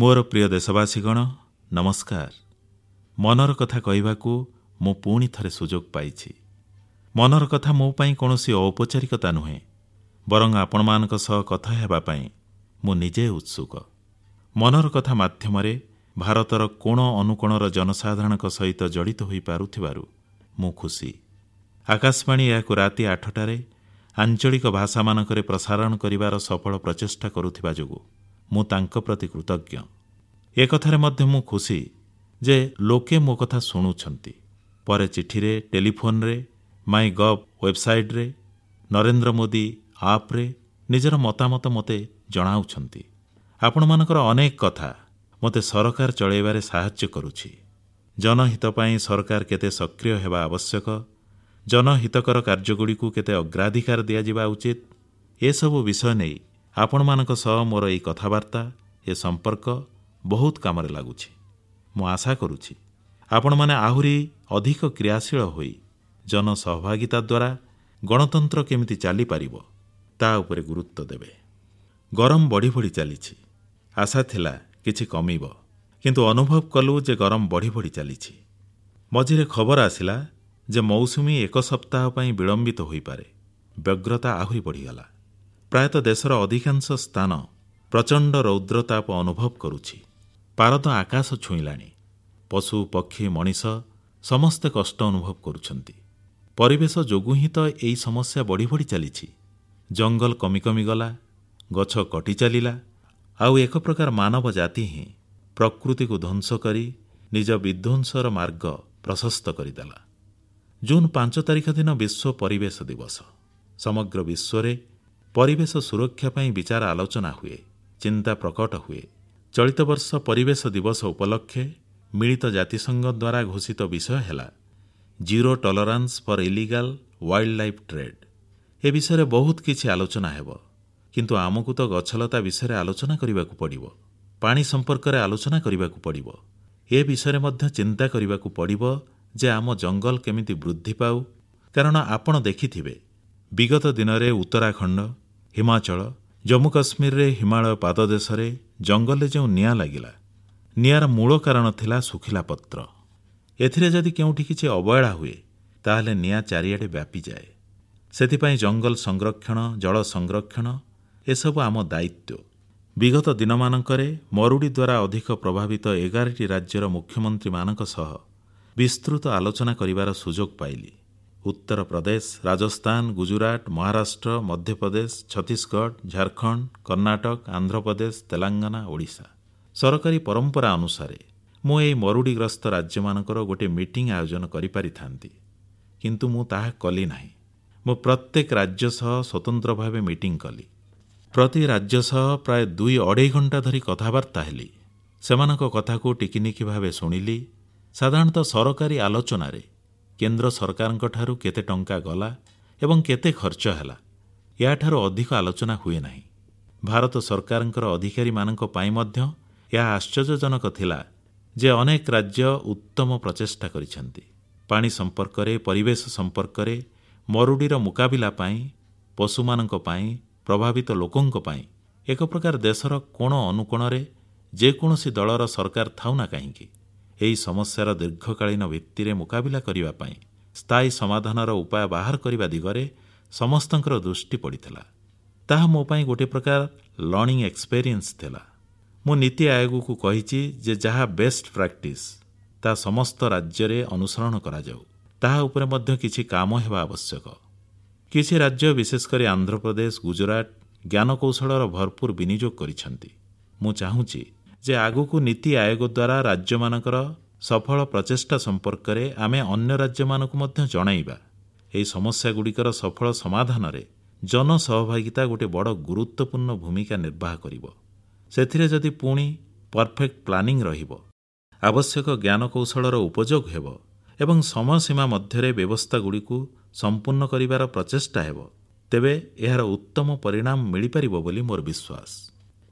ମୋର ପ୍ରିୟ ଦେଶବାସୀଗଣ, ନମସ୍କାର। ମନର କଥା କହିବାକୁ ମୁଁ ପୁଣି ଥରେ ସୁଯୋଗ ପାଇଛି। ମନର କଥା ମୋ ପାଇଁ କୌଣସି ଔପଚାରିକତା ନୁହେଁ, ବରଂ ଆପଣମାନଙ୍କ ସହ କଥା ହେବା ପାଇଁ ମୁଁ ନିଜେ ଉତ୍ସୁକ। ମନର କଥା ମାଧ୍ୟମରେ ଭାରତର କୋଣ ଅନୁକୋଣର ଜନସାଧାରଣଙ୍କ ସହିତ ଜଡ଼ିତ ହୋଇପାରୁଥିବାରୁ ମୁଁ ଖୁସି। ଆକାଶବାଣୀ ଏହାକୁ ରାତି 8ଟାରେ ଆଞ୍ଚଳିକ ଭାଷାମାନଙ୍କରେ ପ୍ରସାରଣ କରିବାର ସଫଳ ପ୍ରଚେଷ୍ଟା କରୁଥିବା ଯୋଗୁଁ ମୁଁ ତାଙ୍କ ପ୍ରତି କୃତଜ୍ଞ। ଏକଥାରେ ମଧ୍ୟ ମୁଁ ଖୁସି ଯେ ଲୋକେ ମୋ କଥା ଶୁଣୁଛନ୍ତି। ପରେ ଚିଠିରେ, ଟେଲିଫୋନରେ, ମାଇ ଗଭ୍ ୱେବସାଇଟ୍ରେ, ନରେନ୍ଦ୍ର ମୋଦି ଆପ୍ରେ ନିଜର ମତାମତ ମୋତେ ଜଣାଉଛନ୍ତି। ଆପଣମାନଙ୍କର ଅନେକ କଥା ମୋତେ ସରକାର ଚଳାଇବାରେ ସାହାଯ୍ୟ କରୁଛି। ଜନହିତ ପାଇଁ ସରକାର କେତେ ସକ୍ରିୟ ହେବା ଆବଶ୍ୟକ, ଜନହିତକର କାର୍ଯ୍ୟଗୁଡ଼ିକୁ କେତେ ଅଗ୍ରାଧିକାର ଦିଆଯିବା ଉଚିତ, ଏସବୁ ବିଷୟ ନେଇ ଆପଣମାନଙ୍କ ସହ ମୋର ଏହି କଥାବାର୍ତ୍ତା, ଏ ସମ୍ପର୍କ ବହୁତ କାମରେ ଲାଗୁଛି। ମୁଁ ଆଶା କରୁଛି ଆପଣମାନେ ଆହୁରି ଅଧିକ କ୍ରିୟାଶୀଳ ହୋଇ ଜନସହଭାଗିତା ଦ୍ୱାରା ଗଣତନ୍ତ୍ର କେମିତି ଚାଲିପାରିବ ତା ଉପରେ ଗୁରୁତ୍ୱ ଦେବେ। ଗରମ ବଢ଼ି ବଢ଼ି ଚାଲିଛି। ଆଶା ଥିଲା କିଛି କମିବ, କିନ୍ତୁ ଅନୁଭବ କଲୁ ଯେ ଗରମ ବଢ଼ି ବଢ଼ି ଚାଲିଛି। ମଝିରେ ଖବର ଆସିଲା ଯେ ମୌସୁମୀ ଏକ ସପ୍ତାହ ପାଇଁ ବିଳମ୍ବିତ ହୋଇପାରେ। ବ୍ୟଗ୍ରତା ଆହୁରି ବଢ଼ିଗଲା। ପ୍ରାୟତଃ ଦେଶର ଅଧିକାଂଶ ସ୍ଥାନ ପ୍ରଚଣ୍ଡ ରୌଦ୍ରତାପ ଅନୁଭବ କରୁଛି। ପାରଦ ଆକାଶ ଛୁଇଁଲାଣି। ପଶୁ, ପକ୍ଷୀ, ମଣିଷ ସମସ୍ତେ କଷ୍ଟ ଅନୁଭବ କରୁଛନ୍ତି। ପରିବେଶ ଯୋଗୁଁ ହିଁ ତ ଏହି ସମସ୍ୟା ବଢ଼ି ବଢ଼ି ଚାଲିଛି। ଜଙ୍ଗଲ କମି କମି ଗଲା, ଗଛ କଟି ଚାଲିଲା, ଆଉ ଏକ ପ୍ରକାର ମାନବ ଜାତି ହିଁ ପ୍ରକୃତିକୁ ଧ୍ୱଂସ କରି ନିଜ ବିଧ୍ୱଂସର ମାର୍ଗ ପ୍ରଶସ୍ତ କରିଦେଲା। ଜୁନ୍ 5 ତାରିଖ ଦିନ ବିଶ୍ୱ ପରିବେଶ ଦିବସ। ସମଗ୍ର ବିଶ୍ୱରେ ପରିବେଶ ସୁରକ୍ଷା ପାଇଁ ବିଚାର ଆଲୋଚନା ହୁଏ, ଚିନ୍ତା ପ୍ରକଟ ହୁଏ। ଚଳିତ ବର୍ଷ ପରିବେଶ ଦିବସ ଉପଲକ୍ଷେ ମିଳିତ ଜାତିସଂଘ ଦ୍ୱାରା ଘୋଷିତ ବିଷୟ ହେଲା zero tolerance for illegal wild life trade. ଏ ବିଷୟରେ ବହୁତ କିଛି ଆଲୋଚନା ହେବ, କିନ୍ତୁ ଆମକୁ ତ ଗଛଲତା ବିଷୟରେ ଆଲୋଚନା କରିବାକୁ ପଡ଼ିବ, ପାଣି ସମ୍ପର୍କରେ ଆଲୋଚନା କରିବାକୁ ପଡ଼ିବ, ଏ ବିଷୟରେ ମଧ୍ୟ ଚିନ୍ତା କରିବାକୁ ପଡ଼ିବ ଯେ ଆମ ଜଙ୍ଗଲ କେମିତି ବୃଦ୍ଧି ପାଉ। କାରଣ ଆପଣ ଦେଖିଥିବେ, ବିଗତ ଦିନରେ ଉତ୍ତରାଖଣ୍ଡ, ହିମାଚଳ, ଜମ୍ମୁ କାଶ୍ମୀରରେ ହିମାଳୟ ପାଦଦେଶରେ ଜଙ୍ଗଲରେ ଯେଉଁ ନିଆଁ ଲାଗିଲା, ନିଆଁର ମୂଳ କାରଣ ଥିଲା ଶୁଖିଲା ପତ୍ର। ଏଥିରେ ଯଦି କେଉଁଠି କିଛି ଅବହେଳା ହୁଏ, ତାହେଲେ ନିଆଁ ଚାରିଆଡ଼େ ବ୍ୟାପିଯାଏ। ସେଥିପାଇଁ ଜଙ୍ଗଲ ସଂରକ୍ଷଣ, ଜଳ ସଂରକ୍ଷଣ ଏସବୁ ଆମ ଦାୟିତ୍ୱ। ବିଗତ ଦିନମାନଙ୍କରେ ମରୁଡ଼ି ଦ୍ୱାରା ଅଧିକ ପ୍ରଭାବିତ 11ଟି ରାଜ୍ୟର ମୁଖ୍ୟମନ୍ତ୍ରୀମାନଙ୍କ ସହ ବିସ୍ତୃତ ଆଲୋଚନା କରିବାର ସୁଯୋଗ ପାଇଲି। ଉତ୍ତରପ୍ରଦେଶ, ରାଜସ୍ଥାନ, ଗୁଜୁରାଟ, ମହାରାଷ୍ଟ୍ର, ମଧ୍ୟପ୍ରଦେଶ, ଛତିଶଗଡ଼, ଝାଡ଼ଖଣ୍ଡ, କର୍ଣ୍ଣାଟକ, ଆନ୍ଧ୍ରପ୍ରଦେଶ, ତେଲେଙ୍ଗାନା, ଓଡ଼ିଶା। ସରକାରୀ ପରମ୍ପରା ଅନୁସାରେ ମୁଁ ଏହି ମରୁଡ଼ିଗ୍ରସ୍ତ ରାଜ୍ୟମାନଙ୍କର ଗୋଟିଏ ମିଟିଂ ଆୟୋଜନ କରିପାରିଥାନ୍ତି, କିନ୍ତୁ ମୁଁ ତାହା କଲି ନାହିଁ। ମୁଁ ପ୍ରତ୍ୟେକ ରାଜ୍ୟ ସହ ସ୍ୱତନ୍ତ୍ର ଭାବେ ମିଟିଂ କଲି। ପ୍ରତି ରାଜ୍ୟ ସହ ପ୍ରାୟ 2-2.5 ଘଣ୍ଟା ଧରି କଥାବାର୍ତ୍ତା ହେଲି। ସେମାନଙ୍କ କଥାକୁ ଟିକିନିଖି ଭାବେ ଶୁଣିଲି। ସାଧାରଣତଃ ସରକାରୀ ଆଲୋଚନାରେ କେନ୍ଦ୍ର ସରକାରଙ୍କ ଠାରୁ କେତେ ଟଙ୍କା ଗଲା ଏବଂ କେତେ ଖର୍ଚ୍ଚ ହେଲା, ଏହାଠାରୁ ଅଧିକ ଆଲୋଚନା ହୁଏ ନାହିଁ। ଭାରତ ସରକାରଙ୍କର ଅଧିକାରୀମାନଙ୍କ ପାଇଁ ମଧ୍ୟ ଏହା ଆଶ୍ଚର୍ଯ୍ୟଜନକ ଥିଲା ଯେ ଅନେକ ରାଜ୍ୟ ଉତ୍ତମ ପ୍ରଚେଷ୍ଟା କରିଛନ୍ତି। ପାଣି ସମ୍ପର୍କରେ, ପରିବେଶ ସମ୍ପର୍କରେ, ମରୁଡ଼ିର ମୁକାବିଲା ପାଇଁ, ପଶୁମାନଙ୍କ ପାଇଁ, ପ୍ରଭାବିତ ଲୋକଙ୍କ ପାଇଁ ଏକ ପ୍ରକାର ଦେଶର କୋଣ ଅନୁକୋଣରେ ଯେକୌଣସି ଦଳର ସରକାର ଥାଉ ନା କାହିଁକି, ଏହି ସମସ୍ୟାର ଦୀର୍ଘକାଳୀନ ଭିତ୍ତିରେ ମୁକାବିଲା କରିବା ପାଇଁ ସ୍ଥାୟୀ ସମାଧାନର ଉପାୟ ବାହାର କରିବା ଦିଗରେ ସମସ୍ତଙ୍କର ଦୃଷ୍ଟି ପଡ଼ିଥିଲା। ତାହା ମୋ ପାଇଁ ଗୋଟିଏ ପ୍ରକାର ଲର୍ଣ୍ଣିଂ ଏକ୍ସପେରିଏନ୍ସ ଥିଲା। ମୁଁ ନୀତି ଆୟୋଗକୁ କହିଛି ଯେ ଯାହା ବେଷ୍ଟ ପ୍ରାକ୍ଟିସ୍ ତାହା ସମସ୍ତ ରାଜ୍ୟରେ ଅନୁସରଣ କରାଯାଉ। ତାହା ଉପରେ ମଧ୍ୟ କିଛି କାମ ହେବା ଆବଶ୍ୟକ। କିଛି ରାଜ୍ୟ, ବିଶେଷ କରି ଆନ୍ଧ୍ରପ୍ରଦେଶ, ଗୁଜୁରାଟ, ଜ୍ଞାନକୌଶଳର ଭରପୁର ବିନିଯୋଗ କରିଛନ୍ତି। ମୁଁ ଚାହୁଁଛି ଯେ ଆଗକୁ ନୀତି ଆୟୋଗ ଦ୍ୱାରା ରାଜ୍ୟମାନଙ୍କର ସଫଳ ପ୍ରଚେଷ୍ଟା ସମ୍ପର୍କରେ ଆମେ ଅନ୍ୟ ରାଜ୍ୟମାନଙ୍କୁ ମଧ୍ୟ ଜଣାଇବା। ଏହି ସମସ୍ୟାଗୁଡ଼ିକର ସଫଳ ସମାଧାନରେ ଜନସହଭାଗିତା ଗୋଟିଏ ବଡ଼ ଗୁରୁତ୍ୱପୂର୍ଣ୍ଣ ଭୂମିକା ନିର୍ବାହ କରିବ। ସେଥିରେ ଯଦି ପୁଣି ପରଫେକ୍ଟ ପ୍ଲାନିଂ ରହିବ, ଆବଶ୍ୟକ ଜ୍ଞାନକୌଶଳର ଉପଯୋଗ ହେବ ଏବଂ ସମୟସୀମା ମଧ୍ୟରେ ବ୍ୟବସ୍ଥାଗୁଡ଼ିକୁ ସମ୍ପୂର୍ଣ୍ଣ କରିବାର ପ୍ରଚେଷ୍ଟା ହେବ, ତେବେ ଏହାର ଉତ୍ତମ ପରିଣାମ ମିଳିପାରିବ ବୋଲି ମୋର ବିଶ୍ୱାସ।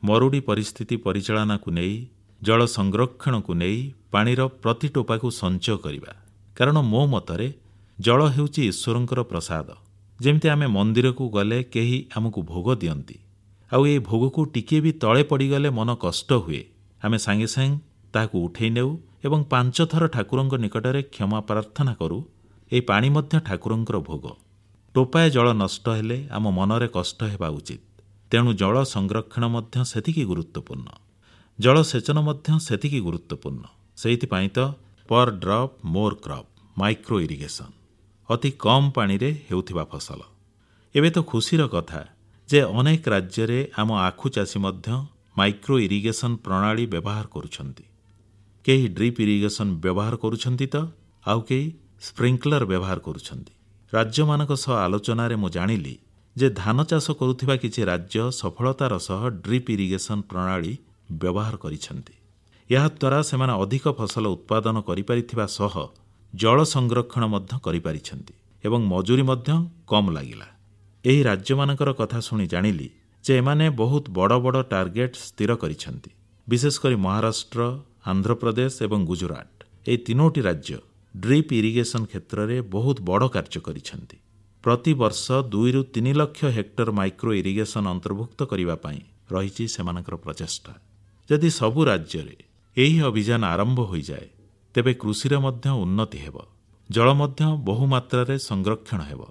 ମରୁଡ଼ି ପରିସ୍ଥିତି ପରିଚାଳନାକୁ ନେଇ, ଜଳ ସଂରକ୍ଷଣକୁ ନେଇ ପାଣିର ପ୍ରତି ଟୋପାକୁ ସଞ୍ଚୟ କରିବା। କାରଣ ମୋ ମତରେ ଜଳ ହେଉଛି ଈଶ୍ୱରଙ୍କର ପ୍ରସାଦ। ଯେମିତି ଆମେ ମନ୍ଦିରକୁ ଗଲେ କେହି ଆମକୁ ଭୋଗ ଦିଅନ୍ତି, ଆଉ ଏହି ଭୋଗକୁ ଟିକିଏ ବି ତଳେ ପଡ଼ିଗଲେ ମନ କଷ୍ଟ ହୁଏ, ଆମେ ସାଙ୍ଗେ ସାଙ୍ଗେ ତାହାକୁ ଉଠେଇ ନେଉ ଏବଂ 5 ଥର ଠାକୁରଙ୍କ ନିକଟରେ କ୍ଷମା ପ୍ରାର୍ଥନା କରୁ। ଏହି ପାଣି ମଧ୍ୟ ଠାକୁରଙ୍କର ଭୋଗ। ଟୋପାଏ ଜଳ ନଷ୍ଟ ହେଲେ ଆମ ମନରେ କଷ୍ଟ ହେବା ଉଚିତ। ତେଣୁ ଜଳ ସଂରକ୍ଷଣ ମଧ୍ୟ ସେତିକି ଗୁରୁତ୍ୱପୂର୍ଣ୍ଣ, ଜଳସେଚନ ମଧ୍ୟ ସେତିକି ଗୁରୁତ୍ୱପୂର୍ଣ୍ଣ। ସେଇଥିପାଇଁ ତ per drop more crop, micro irrigation, ଅତି କମ୍ ପାଣିରେ ହେଉଥିବା ଫସଲ। ଏବେ ତ ଖୁସିର କଥା ଯେ ଅନେକ ରାଜ୍ୟରେ ଆମ ଆଖୁ ଚାଷୀ ମଧ୍ୟ ମାଇକ୍ରୋ ଇରିଗେସନ ପ୍ରଣାଳୀ ବ୍ୟବହାର କରୁଛନ୍ତି। କେହି ଡ୍ରିପ୍ ଇରିଗେସନ ବ୍ୟବହାର କରୁଛନ୍ତି ତ ଆଉ କେହି ସ୍ପ୍ରିଙ୍କଲର ବ୍ୟବହାର କରୁଛନ୍ତି। ରାଜ୍ୟମାନଙ୍କ ସହ ଆଲୋଚନାରେ ମୁଁ ଜାଣିଲି ଯେ ଧାନ ଚାଷ କରୁଥିବା କିଛି ରାଜ୍ୟ ସଫଳତାର ସହ ଡ୍ରିପ୍ ଇରିଗେସନ ପ୍ରଣାଳୀ ବ୍ୟବହାର କରିଛନ୍ତି। ଏହାଦ୍ୱାରା ସେମାନେ ଅଧିକ ଫସଲ ଉତ୍ପାଦନ କରିପାରିଥିବା ସହ ଜଳ ସଂରକ୍ଷଣ ମଧ୍ୟ କରିପାରିଛନ୍ତି ଏବଂ ମଜୁରୀ ମଧ୍ୟ କମ୍ ଲାଗିଲା। ଏହି ରାଜ୍ୟମାନଙ୍କର କଥା ଶୁଣି ଜାଣିଲି ଯେ ଏମାନେ ବହୁତ ବଡ଼ ବଡ଼ ଟାର୍ଗେଟ ସ୍ଥିର କରିଛନ୍ତି। ବିଶେଷକରି ମହାରାଷ୍ଟ୍ର, ଆନ୍ଧ୍ରପ୍ରଦେଶ ଏବଂ ଗୁଜରାଟ, ଏହି 3 ରାଜ୍ୟ ଡ୍ରିପ୍ ଇରିଗେସନ କ୍ଷେତ୍ରରେ ବହୁତ ବଡ଼ କାର୍ଯ୍ୟ କରିଛନ୍ତି। ପ୍ରତିବର୍ଷ 2ରୁ 3 ଲକ୍ଷ ହେକ୍ଟର ମାଇକ୍ରୋ ଇରିଗେସନ ଅନ୍ତର୍ଭୁକ୍ତ କରିବା ପାଇଁ ରହିଛି ସେମାନଙ୍କର ପ୍ରଚେଷ୍ଟା। ଯଦି ସବୁ ରାଜ୍ୟରେ ଏହି ଅଭିଯାନ ଆରମ୍ଭ ହୋଇଯାଏ, ତେବେ କୃଷିର ମଧ୍ୟ ଉନ୍ନତି ହେବ, ଜଳ ମଧ୍ୟ ବହୁମାତ୍ରାରେ ସଂରକ୍ଷଣ ହେବ।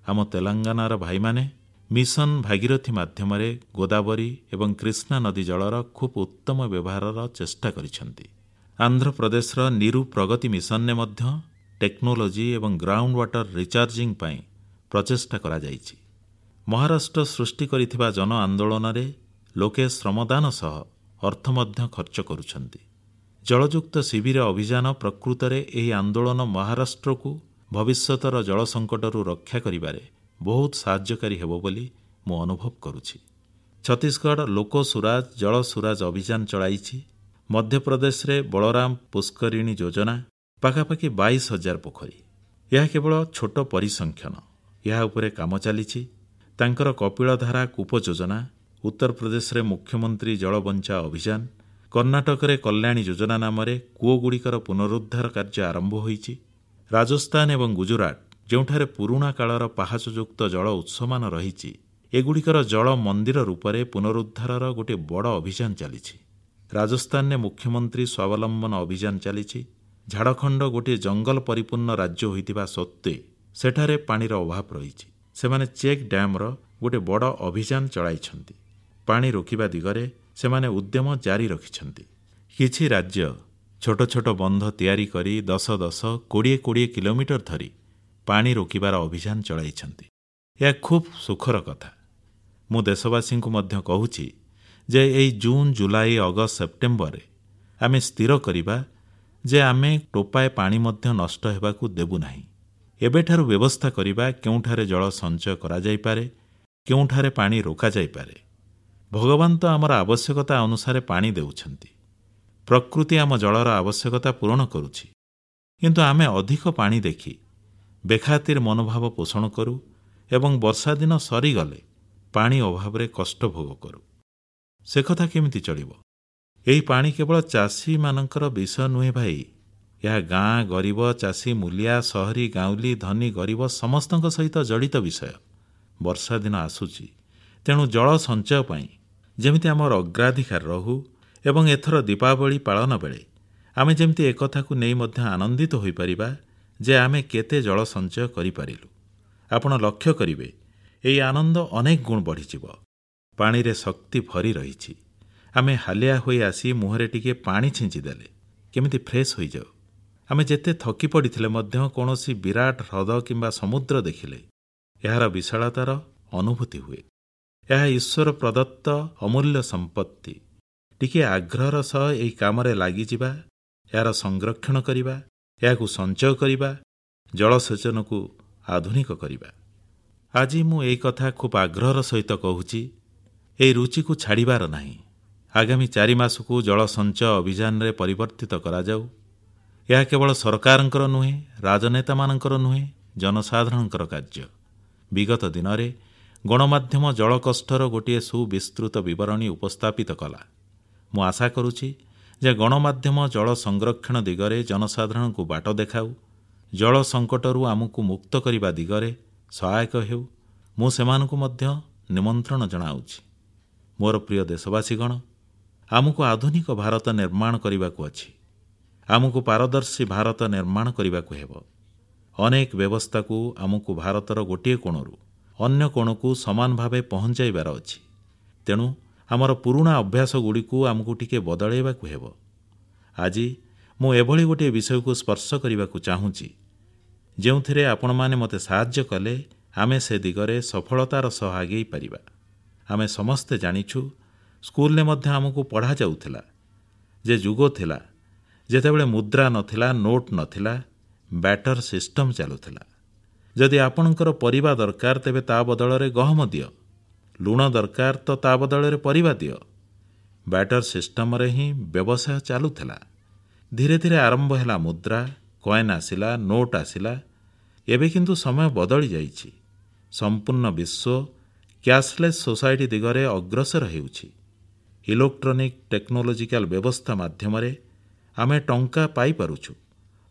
ଆମ ତେଲେଙ୍ଗାନାର ଭାଇମାନେ ମିଶନ ଭାଗୀରଥୀ ମାଧ୍ୟମରେ ଗୋଦାବରୀ ଏବଂ କୃଷ୍ଣା ନଦୀ ଜଳର ଖୁବ୍ ଉତ୍ତମ ବ୍ୟବହାରର ଚେଷ୍ଟା କରିଛନ୍ତି। ଆନ୍ଧ୍ରପ୍ରଦେଶର ନିରୁ ପ୍ରଗତି ମିଶନରେ ମଧ୍ୟ ଟେକ୍ନୋଲୋଜି ଏବଂ ଗ୍ରାଉଣ୍ଡ ୱାଟର ରିଚାର୍ଜିଂ ପାଇଁ ପ୍ରଚେଷ୍ଟା କରାଯାଇଛି। ମହାରାଷ୍ଟ୍ର ସୃଷ୍ଟି କରିଥିବା ଜନ ଆନ୍ଦୋଳନରେ ଲୋକେ ଶ୍ରମଦାନ ସହ ଅର୍ଥ ମଧ୍ୟ ଖର୍ଚ୍ଚ କରୁଛନ୍ତି। ଜଳଯୁକ୍ତ ଶିବିର ଅଭିଯାନ ପ୍ରକୃତରେ ଏହି ଆନ୍ଦୋଳନ ମହାରାଷ୍ଟ୍ରକୁ ଭବିଷ୍ୟତର ଜଳ ସଙ୍କଟରୁ ରକ୍ଷା କରିବାରେ ବହୁତ ସାହାଯ୍ୟକାରୀ ହେବ ବୋଲି ମୁଁ ଅନୁଭବ କରୁଛି। ଛତିଶଗଡ଼ ଲୋକ ସୁରାଜ ଜଳ ସୁରାଜ ଅଭିଯାନ ଚଳାଇଛି। ମଧ୍ୟପ୍ରଦେଶରେ ବଳରାମ ପୁଷ୍କରିଣୀ ଯୋଜନା, ପାଖାପାଖି 22,000 ପୋଖରୀ। ଏହା କେବଳ ଛୋଟ ପରିସଂଖ୍ୟାନ, ଏହା ଉପରେ କାମ ଚାଲିଛି। ତାଙ୍କର କପିଳଧାରା କୂପ ଯୋଜନା, ଉତ୍ତରପ୍ରଦେଶରେ ମୁଖ୍ୟମନ୍ତ୍ରୀ ଜଳ ବଞ୍ଚାଅ ଅଭିଯାନ, କର୍ଣ୍ଣାଟକରେ କଲ୍ୟାଣୀ ଯୋଜନା ନାମରେ କୂଅଗୁଡ଼ିକର ପୁନରୁଦ୍ଧାର କାର୍ଯ୍ୟ ଆରମ୍ଭ ହୋଇଛି। ରାଜସ୍ଥାନ ଏବଂ ଗୁଜରାଟ, ଯେଉଁଠାରେ ପୁରୁଣା କାଳର ପାହାଚଯୁକ୍ତ ଜଳ ଉତ୍ସମାନ ରହିଛି, ଏଗୁଡ଼ିକର ଜଳ ମନ୍ଦିର ରୂପରେ ପୁନରୁଦ୍ଧାରର ଗୋଟିଏ ବଡ଼ ଅଭିଯାନ ଚାଲିଛି। ରାଜସ୍ଥାନରେ ମୁଖ୍ୟମନ୍ତ୍ରୀ ସ୍ୱାବଲମ୍ବନ ଅଭିଯାନ ଚାଲିଛି। ଝାଡ଼ଖଣ୍ଡ ଗୋଟିଏ ଜଙ୍ଗଲ ପରିପୂର୍ଣ୍ଣ ରାଜ୍ୟ ହୋଇଥିବା ସତ୍ତ୍ୱେ ସେଠାରେ ପାଣିର ଅଭାବ ରହିଛି। ସେମାନେ ଚେକ୍ ଡ୍ୟାମ୍ର ଗୋଟିଏ ବଡ଼ ଅଭିଯାନ ଚଳାଇଛନ୍ତି। ପାଣି ରୋକିବା ଦିଗରେ ସେମାନେ ଉଦ୍ୟମ ଜାରି ରଖିଛନ୍ତି। କିଛି ରାଜ୍ୟ ଛୋଟ ଛୋଟ ବନ୍ଧ ତିଆରି କରି 10 10, 20 20 କିଲୋମିଟର ଧରି ପାଣି ରୋକିବାର ଅଭିଯାନ ଚଳାଇଛନ୍ତି। ଏହା ଖୁବ୍ ସୁଖର କଥା। ମୁଁ ଦେଶବାସୀଙ୍କୁ ମଧ୍ୟ କହୁଛି ଯେ ଏହି ଜୁନ୍, ଜୁଲାଇ, ଅଗଷ୍ଟ, ସେପ୍ଟେମ୍ବରରେ ଆମେ ସ୍ଥିର କରିବା ଯେ ଆମେ ଟୋପାଏ ପାଣି ମଧ୍ୟ ନଷ୍ଟ ହେବାକୁ ଦେବୁ ନାହିଁ। ଏବେଠାରୁ ବ୍ୟବସ୍ଥା କରିବା କେଉଁଠାରେ ଜଳ ସଞ୍ଚୟ କରାଯାଇପାରେ, କେଉଁଠାରେ ପାଣି ରୋକାଯାଇପାରେ। ଭଗବାନ ତ ଆମର ଆବଶ୍ୟକତା ଅନୁସାରେ ପାଣି ଦେଉଛନ୍ତି। ପ୍ରକୃତି ଆମ ଜଳର ଆବଶ୍ୟକତା ପୂରଣ କରୁଛି। କିନ୍ତୁ ଆମେ ଅଧିକ ପାଣି ଦେଖି ବେଖାତିର ମନୋଭାବ ପୋଷଣ କରୁ ଏବଂ ବର୍ଷାଦିନ ସରିଗଲେ ପାଣି ଅଭାବରେ କଷ୍ଟ ଭୋଗ କରୁ। ସେ କଥା କେମିତି ଚଳିବ? ଏହି ପାଣି କେବଳ ଚାଷୀମାନଙ୍କର ବିଷୟ ନୁହେଁ ଭାଇ। ଏହା ଗାଁ, ଗରିବ, ଚାଷୀ, ମୂଲିଆ, ସହରୀ, ଗାଉଁଲି, ଧନୀ, ଗରିବ ସମସ୍ତଙ୍କ ସହିତ ଜଡ଼ିତ ବିଷୟ। ବର୍ଷାଦିନ ଆସୁଛି, ତେଣୁ ଜଳ ସଞ୍ଚୟ ପାଇଁ ଯେମିତି ଆମର ଅଗ୍ରାଧିକାର ରହୁ ଏବଂ ଏଥର ଦୀପାବଳି ପାଳନ ବେଳେ ଆମେ ଯେମିତି ଏକଥାକୁ ନେଇ ମଧ୍ୟ ଆନନ୍ଦିତ ହୋଇପାରିବା ଯେ ଆମେ କେତେ ଜଳ ସଞ୍ଚୟ କରିପାରିଲୁ। ଆପଣ ଲକ୍ଷ୍ୟ କରିବେ, ଏହି ଆନନ୍ଦ ଅନେକ ଗୁଣ ବଢ଼ିଯିବ। ପାଣିରେ ଶକ୍ତି ଭରି ରହିଛି। ଆମେ ହାଲିଆ ହୋଇ ଆସି ମୁହଁରେ ଟିକିଏ ପାଣି ଛିଞ୍ଚିଦେଲେ କେମିତି ଫ୍ରେଶ୍ ହୋଇଯାଉ। ଆମେ ଯେତେ ଥକି ପଡ଼ିଥିଲେ ମଧ୍ୟ କୌଣସି ବିରାଟ ହ୍ରଦ କିମ୍ବା ସମୁଦ୍ର ଦେଖିଲେ ଏହାର ବିଶାଳତାର ଅନୁଭୂତି ହୁଏ। ଏହା ଈଶ୍ୱର ପ୍ରଦତ୍ତ ଅମୂଲ୍ୟ ସମ୍ପତ୍ତି। ଟିକିଏ ଆଗ୍ରହର ସହ ଏହି କାମରେ ଲାଗିଯିବା, ଏହାର ସଂରକ୍ଷଣ କରିବା, ଏହାକୁ ସଞ୍ଚୟ କରିବା, ଜଳସେଚନକୁ ଆଧୁନିକ କରିବା। ଆଜି ମୁଁ ଏହି କଥା ଖୁବ୍ ଆଗ୍ରହର ସହିତ କହୁଛି। ଏହି ରୁଚିକୁ ଛାଡ଼ିବାର ନାହିଁ। ଆଗାମୀ 4 ମାସକୁ ଜଳ ସଞ୍ଚୟ ଅଭିଯାନରେ ପରିବର୍ତ୍ତିତ କରାଯାଉ। ଏହା କେବଳ ସରକାରଙ୍କର ନୁହେଁ, ରାଜନେତାମାନଙ୍କର ନୁହେଁ, ଜନସାଧାରଣଙ୍କର କାର୍ଯ୍ୟ। ବିଗତ ଦିନରେ ଗଣମାଧ୍ୟମ ଜଳ କଷ୍ଟର ଗୋଟିଏ ସୁବିସ୍ତୃତ ବିବରଣୀ ଉପସ୍ଥାପିତ କଲା। ମୁଁ ଆଶା କରୁଛି ଯେ ଗଣମାଧ୍ୟମ ଜଳ ସଂରକ୍ଷଣ ଦିଗରେ ଜନସାଧାରଣଙ୍କୁ ବାଟ ଦେଖାଉ, ଜଳ ସଙ୍କଟରୁ ଆମକୁ ମୁକ୍ତ କରିବା ଦିଗରେ ସହାୟକ ହେଉ। ମୁଁ ସେମାନଙ୍କୁ ମଧ୍ୟ ନିମନ୍ତ୍ରଣ ଜଣାଉଛି। ମୋର ପ୍ରିୟ ଦେଶବାସୀଗଣ, ଆମକୁ ଆଧୁନିକ ଭାରତ ନିର୍ମାଣ କରିବାକୁ ଅଛି। ଆମକୁ ପାରଦର୍ଶୀ ଭାରତ ନିର୍ମାଣ କରିବାକୁ ହେବ। ଅନେକ ବ୍ୟବସ୍ଥାକୁ ଆମକୁ ଭାରତର ଗୋଟିଏ କୋଣରୁ ଅନ୍ୟ କୋଣକୁ ସମାନ ଭାବେ ପହଂଚାଇବାର ଅଛି। ତେଣୁ ଆମର ପୁରୁଣା ଅଭ୍ୟାସଗୁଡ଼ିକୁ ଆମକୁ ଟିକିଏ ବଦଳାଇବାକୁ ହେବ। ଆଜି ମୁଁ ଏଭଳି ଗୋଟିଏ ବିଷୟକୁ ସ୍ପର୍ଶ କରିବାକୁ ଚାହୁଁଛି, ଯେଉଁଥିରେ ଆପଣମାନେ ମୋତେ ସାହାଯ୍ୟ କଲେ ଆମେ ସେ ଦିଗରେ ସଫଳତାର ସହ ଆଗେଇ ପାରିବା। ଆମେ ସମସ୍ତେ ଜାଣିଛୁ, ସ୍କୁଲରେ ମଧ୍ୟ ଆମକୁ ପଢ଼ାଯାଉଥିଲା ଯେ ଯୁଗ ଥିଲା ଯେତେବେଳେ ମୁଦ୍ରା ନଥିଲା, ନୋଟ ନଥିଲା, ବ୍ୟାଟର ସିଷ୍ଟମ ଚାଲୁଥିଲା। ଯଦି ଆପଣଙ୍କର ପରିବା ଦରକାର ତେବେ ତା ବଦଳରେ ଗହମ ଦିଅ, ଲୁଣ ଦରକାର ତ ତା ବଦଳରେ ପରିବା ଦିଅ। ବ୍ୟାଟର ସିଷ୍ଟମରେ ହିଁ ବ୍ୟବସାୟ ଚାଲୁଥିଲା। ଧୀରେ ଧୀରେ ଆରମ୍ଭ ହେଲା ମୁଦ୍ରା, କଏନ୍ ଆସିଲା, ନୋଟ ଆସିଲା। ଏବେ କିନ୍ତୁ ସମୟ ବଦଳି ଯାଇଛି। ସମ୍ପୂର୍ଣ୍ଣ ବିଶ୍ୱ କ୍ୟାଶଲେସ୍ ସୋସାଇଟି ଦିଗରେ ଅଗ୍ରସର ହେଉଛି। ଇଲେକ୍ଟ୍ରୋନିକ ଟେକ୍ନୋଲୋଜିକାଲ ବ୍ୟବସ୍ଥା ମାଧ୍ୟମରେ ଆମେ ଟଙ୍କା ପାଇପାରୁଛୁ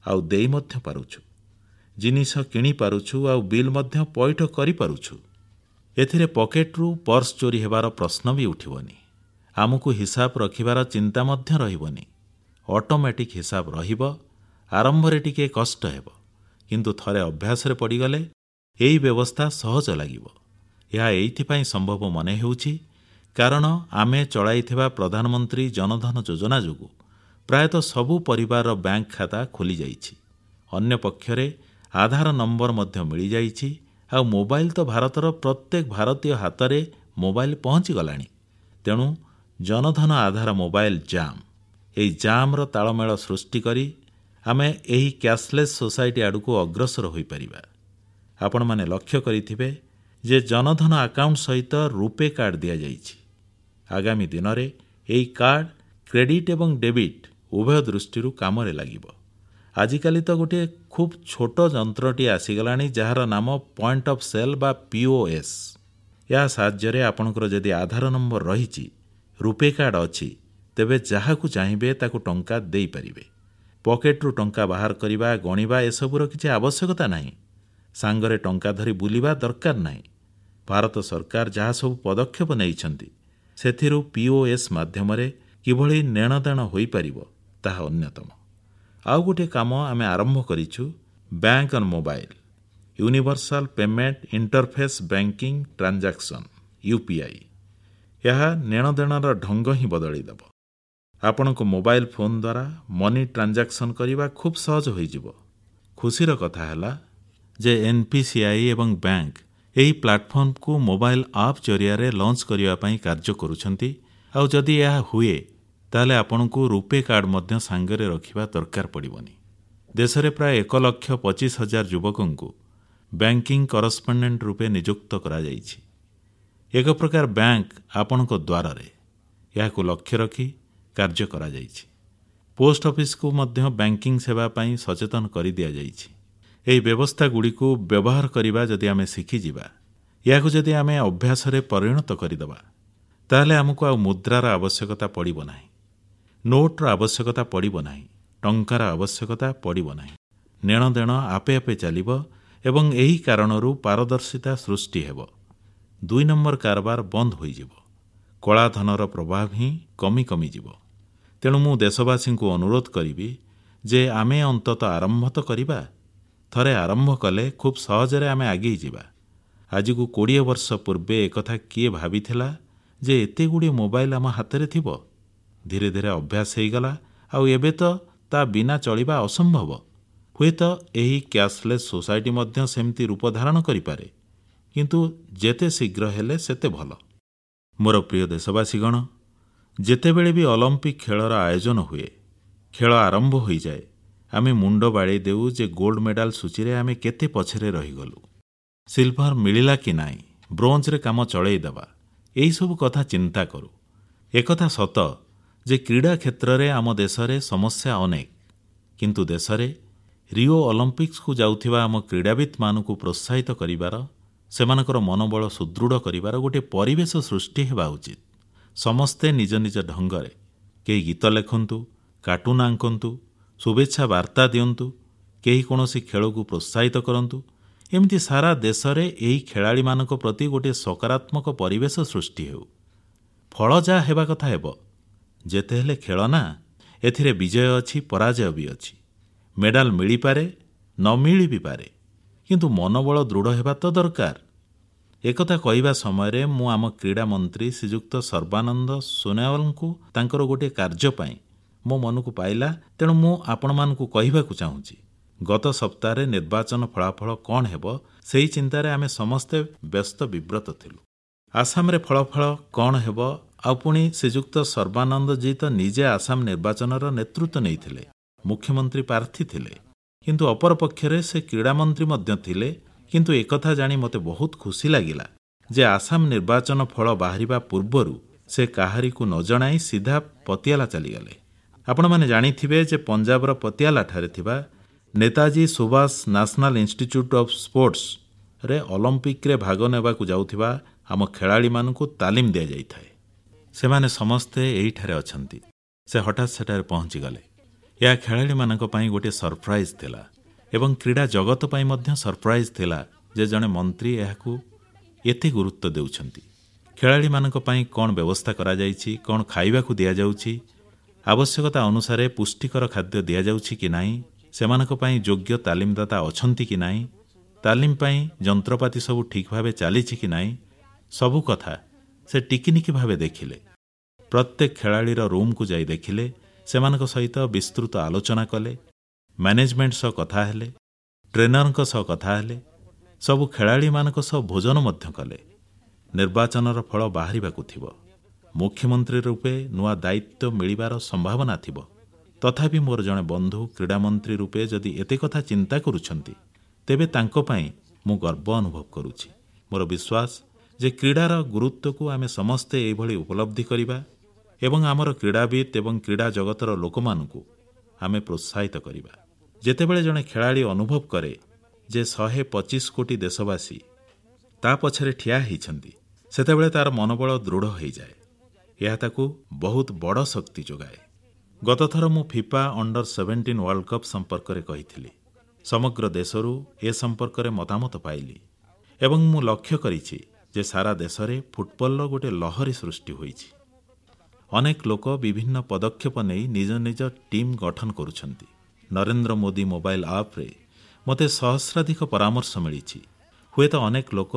ଆଉ ଦେଇ ମଧ୍ୟ ପାରୁଛୁ, ଜିନିଷ କିଣିପାରୁଛୁ ଆଉ ବିଲ୍ ମଧ୍ୟ ପଇଠ କରିପାରୁଛୁ। ଏଥିରେ ପକେଟରୁ ପର୍ସ ଚୋରି ହେବାର ପ୍ରଶ୍ନ ବି ଉଠିବନି। ଆମକୁ ହିସାବ ରଖିବାର ଚିନ୍ତା ମଧ୍ୟ ରହିବନି। ଅଟୋମେଟିକ୍ ହିସାବ ରହିବ। ଆରମ୍ଭରେ ଟିକିଏ କଷ୍ଟ ହେବ, କିନ୍ତୁ ଥରେ ଅଭ୍ୟାସରେ ପଡ଼ିଗଲେ ଏହି ବ୍ୟବସ୍ଥା ସହଜ ଲାଗିବ। ଏହା ଏଇଥିପାଇଁ ସମ୍ଭବ ମନେ ହେଉଛି କାରଣ ଆମେ ଚଳାଇଥିବା ପ୍ରଧାନମନ୍ତ୍ରୀ ଜନଧନ ଯୋଜନା ଯୋଗୁଁ ପ୍ରାୟତଃ ସବୁ ପରିବାରର ବ୍ୟାଙ୍କ ଖାତା ଖୋଲିଯାଇଛି। ଅନ୍ୟପକ୍ଷରେ ଆଧାର ନମ୍ବର ମଧ୍ୟ ମିଳିଯାଇଛି ଆଉ ମୋବାଇଲ ତ ଭାରତର ପ୍ରତ୍ୟେକ ଭାରତୀୟ ହାତରେ ମୋବାଇଲ ପହଞ୍ଚିଗଲାଣି। ତେଣୁ ଜନଧନ ଆଧାର ମୋବାଇଲ ଜାମ୍, ଏହି ଜାମ୍ର ତାଳମେଳ ସୃଷ୍ଟି କରି ଆମେ ଏହି କ୍ୟାଶଲେସ୍ ସୋସାଇଟି ଆଡ଼କୁ ଅଗ୍ରସର ହୋଇପାରିବା। ଆପଣମାନେ ଲକ୍ଷ୍ୟ କରିଥିବେ ଯେ ଜନଧନ ଆକାଉଣ୍ଟ ସହିତ ରୂପେ କାର୍ଡ ଦିଆଯାଇଛି। ଆଗାମୀ ଦିନରେ ଏହି କାର୍ଡ କ୍ରେଡିଟ୍ ଏବଂ ଡେବିଟ୍ ଉଭୟ ଦୃଷ୍ଟିରୁ କାମରେ ଲାଗିବ। ଆଜିକାଲି ତ ଗୋଟିଏ ଖୁବ୍ ଛୋଟ ଯନ୍ତ୍ରଟିଏ ଆସିଗଲାଣି, ଯାହାର ନାମ ପଏଣ୍ଟ ଅଫ୍ ସେଲ୍ ବା POS। ଏହା ସାହାଯ୍ୟରେ ଆପଣଙ୍କର ଯଦି ଆଧାର ନମ୍ବର ରହିଛି, ରୂପେ କାର୍ଡ ଅଛି, ତେବେ ଯାହାକୁ ଚାହିଁବେ ତାକୁ ଟଙ୍କା ଦେଇପାରିବେ। ପକେଟରୁ ଟଙ୍କା ବାହାର କରିବା, ଗଣିବା ଏସବୁର କିଛି ଆବଶ୍ୟକତା ନାହିଁ। ସାଙ୍ଗରେ ଟଙ୍କା ଧରି ବୁଲିବା ଦରକାର ନାହିଁ। ଭାରତ ସରକାର ଯାହା ସବୁ ପଦକ୍ଷେପ ନେଇଛନ୍ତି ସେଥିରୁ POS ମାଧ୍ୟମରେ କିଭଳି ନେଣଦେଣ ହୋଇପାରିବ ତାହା ଅନ୍ୟତମ। ଆଉ ଗୋଟିଏ କାମ ଆମେ ଆରମ୍ଭ କରିଛୁ, bank on mobile, universal payment interface banking transaction, UPI। ଏହା ନେଣଦେଣର ଢଙ୍ଗ ହିଁ ବଦଳାଇଦେବ। ଆପଣଙ୍କ ମୋବାଇଲ ଫୋନ୍ ଦ୍ୱାରା ମନି ଟ୍ରାଞ୍ଜାକ୍ସନ୍ କରିବା ଖୁବ୍ ସହଜ ହୋଇଯିବ। ଖୁସିର କଥା ହେଲା ଯେ NPCI ଏବଂ ବ୍ୟାଙ୍କ ଏହି ପ୍ଲାଟଫର୍ମକୁ ମୋବାଇଲ ଆପ୍ ଜରିଆରେ ଲଞ୍ଚ କରିବା ପାଇଁ କାର୍ଯ୍ୟ କରୁଛନ୍ତି। ଆଉ ଯଦି ଏହା ହୁଏ ତାହେଲେ ଆପଣଙ୍କୁ ରୂପେ କାର୍ଡ ମଧ୍ୟ ସାଙ୍ଗରେ ରଖିବା ଦରକାର ପଡ଼ିବନି। ଦେଶରେ ପ୍ରାୟ 1,25,000 ଯୁବକଙ୍କୁ ବ୍ୟାଙ୍କିଂ କରସ୍ପଣ୍ଡେଣ୍ଟ ରୂପେ ନିଯୁକ୍ତ କରାଯାଇଛି। ଏକ ପ୍ରକାର ବ୍ୟାଙ୍କ ଆପଣଙ୍କ ଦ୍ୱାରରେ, ଏହାକୁ ଲକ୍ଷ୍ୟ ରଖି କାର୍ଯ୍ୟ କରାଯାଇଛି। ପୋଷ୍ଟ ଅଫିସକୁ ମଧ୍ୟ ବ୍ୟାଙ୍କିଂ ସେବା ପାଇଁ ସଚେତନ କରିଦିଆଯାଇଛି। ଏହି ବ୍ୟବସ୍ଥାଗୁଡ଼ିକୁ ବ୍ୟବହାର କରିବା ଯଦି ଆମେ ଶିଖିଯିବା, ଏହାକୁ ଯଦି ଆମେ ଅଭ୍ୟାସରେ ପରିଣତ କରିଦେବା, ତାହେଲେ ଆମକୁ ଆଉ ମୁଦ୍ରାର ଆବଶ୍ୟକତା ପଡ଼ିବ ନାହିଁ, ନୋଟ୍ର ଆବଶ୍ୟକତା ପଡ଼ିବ ନାହିଁ, ଟଙ୍କାର ଆବଶ୍ୟକତା ପଡ଼ିବ ନାହିଁ। ନେଣଦେଣ ଆପେ ଆପେ ଚାଲିବ ଏବଂ ଏହି କାରଣରୁ ପାରଦର୍ଶିତା ସୃଷ୍ଟି ହେବ। 2 ନମ୍ବର କାରବାର ବନ୍ଦ ହୋଇଯିବ। କଳାଧନର ପ୍ରଭାବ ହିଁ କମି କମିଯିବ। ତେଣୁ ମୁଁ ଦେଶବାସୀଙ୍କୁ ଅନୁରୋଧ କରିବି ଯେ ଆମେ ଅନ୍ତତଃ ଆରମ୍ଭ ତ କରିବା। ଥରେ ଆରମ୍ଭ କଲେ ଖୁବ୍ ସହଜରେ ଆମେ ଆଗେଇ ଯିବା। ଆଜିକୁ 20 ବର୍ଷ ପୂର୍ବେ ଏକଥା କିଏ ଭାବିଥିଲା ଯେ ଏତେଗୁଡ଼ିଏ ମୋବାଇଲ ଆମ ହାତରେ ଥିବ? ଧୀରେ ଧୀରେ ଅଭ୍ୟାସ ହେଇଗଲା ଆଉ ଏବେ ତ ତା ବିନା ଚଳିବା ଅସମ୍ଭବ। ହୁଏତ ଏହି କ୍ୟାଶଲେସ୍ ସୋସାଇଟି ମଧ୍ୟ ସେମିତି ରୂପ ଧାରଣ କରିପାରେ, କିନ୍ତୁ ଯେତେ ଶୀଘ୍ର ହେଲେ ସେତେ ଭଲ। ମୋର ପ୍ରିୟ ଦେଶବାସୀଗଣ, ଯେତେବେଳେ ବି ଅଲିମ୍ପିକ୍ ଖେଳର ଆୟୋଜନ ହୁଏ, ଖେଳ ଆରମ୍ଭ ହୋଇଯାଏ, ଆମେ ମୁଣ୍ଡ ବାଡ଼େଇ ଦେଉ ଯେ ଗୋଲ୍ଡ ମେଡାଲ ସୂଚୀରେ ଆମେ କେତେ ପଛରେ ରହିଗଲୁ, ସିଲଭର ମିଳିଲା କି ନାହିଁ, ବ୍ରୋଞ୍ଜରେ କାମ ଚଳେଇଦେବା, ଏହିସବୁ କଥା ଚିନ୍ତା କରୁ। ଏକଥା ସତ ଯେ କ୍ରୀଡ଼ା କ୍ଷେତ୍ରରେ ଆମ ଦେଶରେ ସମସ୍ୟା ଅନେକ, କିନ୍ତୁ ଦେଶରେ ରିଓ ଅଲିମ୍ପିକ୍ସକୁ ଯାଉଥିବା ଆମ କ୍ରୀଡ଼ାବିତ୍ମାନଙ୍କୁ ପ୍ରୋତ୍ସାହିତ କରିବାର, ସେମାନଙ୍କର ମନୋବଳ ସୁଦୃଢ଼ କରିବାର ଗୋଟିଏ ପରିବେଶ ସୃଷ୍ଟି ହେବା ଉଚିତ। ସମସ୍ତେ ନିଜ ନିଜ ଢଙ୍ଗରେ, କେହି ଗୀତ ଲେଖନ୍ତୁ, କାର୍ଟୁନ୍ ଆଙ୍କନ୍ତୁ, ଶୁଭେଚ୍ଛା ବାର୍ତ୍ତା ଦିଅନ୍ତୁ, କେହି କୌଣସି ଖେଳକୁ ପ୍ରୋତ୍ସାହିତ କରନ୍ତୁ, ଏମିତି ସାରା ଦେଶରେ ଏହି ଖେଳାଳିମାନଙ୍କ ପ୍ରତି ଗୋଟିଏ ସକାରାତ୍ମକ ପରିବେଶ ସୃଷ୍ଟି ହେଉ। ଫଳ ଯାହା ହେବା କଥା ହେବ, ଯେତେ ହେଲେ ଖେଳ ନା, ଏଥିରେ ବିଜୟ ଅଛି, ପରାଜୟ ବି ଅଛି। ମେଡାଲ ମିଳିପାରେ, ନ ମିଳି ବି ପାରେ, କିନ୍ତୁ ମନୋବଳ ଦୃଢ଼ ହେବା ତ ଦରକାର। ଏକଥା କହିବା ସମୟରେ ମୁଁ ଆମ କ୍ରୀଡ଼ା ମନ୍ତ୍ରୀ ଶ୍ରୀଯୁକ୍ତ ସର୍ବାନନ୍ଦ ସୋନୋୱାଲଙ୍କୁ ତାଙ୍କର ଗୋଟିଏ କାର୍ଯ୍ୟ ପାଇଁ ମୋ ମନକୁ ପାଇଲା, ତେଣୁ ମୁଁ ଆପଣମାନଙ୍କୁ କହିବାକୁ ଚାହୁଁଛି। ଗତ ସପ୍ତାହରେ ନିର୍ବାଚନ ଫଳାଫଳ କଣ ହେବ, ସେହି ଚିନ୍ତାରେ ଆମେ ସମସ୍ତେ ବ୍ୟସ୍ତ ବିବ୍ରତ ଥିଲୁ। ଆସାମରେ ଫଳାଫଳ କଣ ହେବ, ଆଉ ପୁଣି ଶ୍ରୀଯୁକ୍ତ ସର୍ବାନନ୍ଦ ଜୀ ତ ନିଜେ ଆସାମ ନିର୍ବାଚନର ନେତୃତ୍ୱ ନେଇଥିଲେ, ମୁଖ୍ୟମନ୍ତ୍ରୀ ପ୍ରାର୍ଥୀ ଥିଲେ, କିନ୍ତୁ ଅପରପକ୍ଷରେ ସେ କ୍ରୀଡ଼ାମନ୍ତ୍ରୀ ମଧ୍ୟ ଥିଲେ। କିନ୍ତୁ ଏକଥା ଜାଣି ମୋତେ ବହୁତ ଖୁସି ଲାଗିଲା ଯେ ଆସାମ ନିର୍ବାଚନ ଫଳ ବାହାରିବା ପୂର୍ବରୁ ସେ କାହାରିକୁ ନ ଜଣାଇ ସିଧା ପତିଆଲା ଚାଲିଗଲେ। ଆପଣମାନେ ଜାଣିଥିବେ ଯେ ପଞ୍ଜାବର ପତିଆଲାଠାରେ ଥିବା Netaji Subhas national institute of ସ୍ପୋର୍ଟସରେ ଅଲିମ୍ପିକରେ ଭାଗ ନେବାକୁ ଯାଉଥିବା ଆମ ଖେଳାଳିମାନଙ୍କୁ ତାଲିମ ଦିଆଯାଇଥାଏ। ସେମାନେ ସମସ୍ତେ ଏହିଠାରେ ଅଛନ୍ତି। ସେ ହଠାତ୍ ସେଠାରେ ପହଞ୍ଚିଗଲେ। ଏହା ଖେଳାଳିମାନଙ୍କ ପାଇଁ ଗୋଟିଏ ସରପ୍ରାଇଜ୍ ଥିଲା ଏବଂ କ୍ରୀଡ଼ା ଜଗତ ପାଇଁ ମଧ୍ୟ ସରପ୍ରାଇଜ୍ ଥିଲା ଯେ ଜଣେ ମନ୍ତ୍ରୀ ଏହାକୁ ଏତେ ଗୁରୁତ୍ୱ ଦେଉଛନ୍ତି। ଖେଳାଳିମାନଙ୍କ ପାଇଁ କଣ ବ୍ୟବସ୍ଥା କରାଯାଇଛି, କଣ ଖାଇବାକୁ ଦିଆଯାଉଛି, ଆବଶ୍ୟକତା ଅନୁସାରେ ପୁଷ୍ଟିକର ଖାଦ୍ୟ ଦିଆଯାଉଛି କି ନାହିଁ, ସେମାନଙ୍କ ପାଇଁ ଯୋଗ୍ୟ ତାଲିମଦାତା ଅଛନ୍ତି କି ନାହିଁ, ତାଲିମ ପାଇଁ ଯନ୍ତ୍ରପାତି ସବୁ ଠିକ୍ ଭାବେ ଚାଲିଛି କି ନାହିଁ, ସବୁ କଥା ସେ ଟିକିନିକି ଭାବେ ଦେଖିଲେ। ପ୍ରତ୍ୟେକ ଖେଳାଳିର ରୁମ୍କୁ ଯାଇ ଦେଖିଲେ, ସେମାନଙ୍କ ସହିତ ବିସ୍ତୃତ ଆଲୋଚନା କଲେ, ମ୍ୟାନେଜମେଣ୍ଟ ସହ କଥା ହେଲେ, ଟ୍ରେନରଙ୍କ ସହ କଥା ହେଲେ, ସବୁ ଖେଳାଳିମାନଙ୍କ ସହ ଭୋଜନ ମଧ୍ୟ କଲେ। ନିର୍ବାଚନର ଫଳ ବାହାରିବାକୁ ଥିବ, ମୁଖ୍ୟମନ୍ତ୍ରୀ ରୂପେ ନୂଆ ଦାୟିତ୍ୱ ମିଳିବାର ସମ୍ଭାବନା ଥିବ, ତଥାପି ମୋର ଜଣେ ବନ୍ଧୁ କ୍ରୀଡ଼ାମନ୍ତ୍ରୀ ରୂପେ ଯଦି ଏତେ କଥା ଚିନ୍ତା କରୁଛନ୍ତି, ତେବେ ତାଙ୍କ ପାଇଁ ମୁଁ ଗର୍ବ ଅନୁଭବ କରୁଛି। ମୋର ବିଶ୍ୱାସ ଯେ କ୍ରୀଡ଼ାର ଗୁରୁତ୍ୱକୁ ଆମେ ସମସ୍ତେ ଏଇଭଳି ଉପଲବ୍ଧି କରିବା ଏବଂ ଆମର କ୍ରୀଡ଼ାବିତ୍ ଏବଂ କ୍ରୀଡ଼ା ଜଗତର ଲୋକମାନଙ୍କୁ ଆମେ ପ୍ରୋତ୍ସାହିତ କରିବା। ଯେତେବେଳେ ଜଣେ ଖେଳାଳି ଅନୁଭବ କରେ ଯେ 125 କୋଟି ଦେଶବାସୀ ତା ପଛରେ ଠିଆ ହେଇଛନ୍ତି, ସେତେବେଳେ ତାର ମନୋବଳ ଦୃଢ଼ ହୋଇଯାଏ। ଏହା ତାକୁ ବହୁତ ବଡ଼ ଶକ୍ତି ଯୋଗାଏ। ଗତଥର ମୁଁ ଫିଫା ଅଣ୍ଡର 17 ୱାର୍ଲଡ କପ୍ ସମ୍ପର୍କରେ କହିଥିଲି। ସମଗ୍ର ଦେଶରୁ ଏ ସମ୍ପର୍କରେ ମତାମତ ପାଇଲି ଏବଂ ମୁଁ ଲକ୍ଷ୍ୟ କରିଛି ଯେ ସାରା ଦେଶରେ ଫୁଟବଲର ଗୋଟିଏ ଲହରୀ ସୃଷ୍ଟି ହୋଇଛି। ଅନେକ ଲୋକ ବିଭିନ୍ନ ପଦକ୍ଷେପ ନେଇ ନିଜ ନିଜ ଟିମ୍ ଗଠନ କରୁଛନ୍ତି। ନରେନ୍ଦ୍ର ମୋଦି ମୋବାଇଲ ଆପ୍ରେ ମୋତେ ସହସ୍ରାଧିକ ପରାମର୍ଶ ମିଳିଛି। ହୁଏତ ଅନେକ ଲୋକ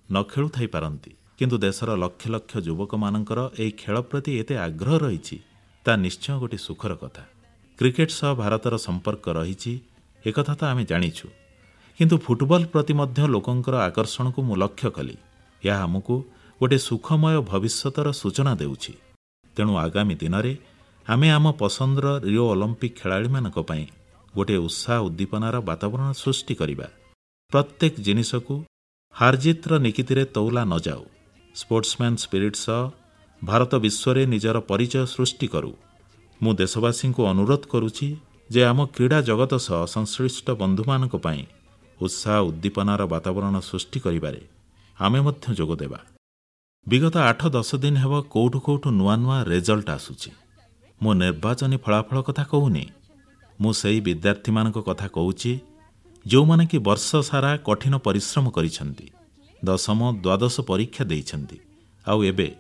ନ ଖେଳୁଥାଇପାରନ୍ତି, କିନ୍ତୁ ଦେଶର ଲକ୍ଷ ଲକ୍ଷ ଯୁବକମାନଙ୍କର ଏହି ଖେଳ ପ୍ରତି ଏତେ ଆଗ୍ରହ ରହିଛି, ତାହା ନିଶ୍ଚୟ ଗୋଟିଏ ସୁଖର କଥା। କ୍ରିକେଟ ସହ ଭାରତର ସମ୍ପର୍କ ରହିଛି, ଏକଥା ତ ଆମେ ଜାଣିଛୁ, କିନ୍ତୁ ଫୁଟବଲ ପ୍ରତି ମଧ୍ୟ ଲୋକଙ୍କର ଆକର୍ଷଣକୁ ମୁଁ ଲକ୍ଷ୍ୟ କଲି। ଏହା ଆମକୁ ଗୋଟିଏ ସୁଖମୟ ଭବିଷ୍ୟତର ସୂଚନା ଦେଉଛି। ତେଣୁ ଆଗାମୀ ଦିନରେ ଆମେ ଆମ ପସନ୍ଦର ରିଓ ଅଲିମ୍ପିକ ଖେଳାଳିମାନଙ୍କ ପାଇଁ ଗୋଟିଏ ଉତ୍ସାହ ଉଦ୍ଦୀପନାର ବାତାବରଣ ସୃଷ୍ଟି କରିବା। ପ୍ରତ୍ୟେକ ଜିନିଷକୁ ହାରଜିତ୍ର ନିକିତିରେ ତଉଲା ନ ଯାଉ। ସ୍ପୋର୍ଟସମ୍ୟାନ୍ ସ୍ପିରିଟ୍ ସହ ଭାରତ ବିଶ୍ୱରେ ନିଜର ପରିଚୟ ସୃଷ୍ଟି କରୁ। ମୁଁ ଦେଶବାସୀଙ୍କୁ ଅନୁରୋଧ କରୁଛି ଯେ ଆମ କ୍ରୀଡ଼ା ଜଗତ ସହ ସଂଶ୍ଳିଷ୍ଟ ବନ୍ଧୁମାନଙ୍କ ପାଇଁ ଉତ୍ସାହ ଉଦ୍ଦୀପନାର ବାତାବରଣ ସୃଷ୍ଟି କରିବାରେ ଆମେ ମଧ୍ୟ ଯୋଗଦେବା। ବିଗତ 8-10 ଦିନ ହେବ କୋଉଠୁ କୋଉଠୁ ନୂଆ ନୂଆ ରେଜଲ୍ଟ ଆସୁଛି। ମୁଁ ନିର୍ବାଚନୀ ଫଳାଫଳ କଥା କହୁନି। ମୁଁ ସେହି ବିଦ୍ୟାର୍ଥୀମାନଙ୍କ କଥା କହୁଛି, ଯେଉଁମାନେ କି ବର୍ଷ ସାରା କଠିନ ପରିଶ୍ରମ କରିଛନ୍ତି, ଦଶମ, ଦ୍ୱାଦଶ ପରୀକ୍ଷା ଦେଇଛନ୍ତି ଆଉ ଏବେ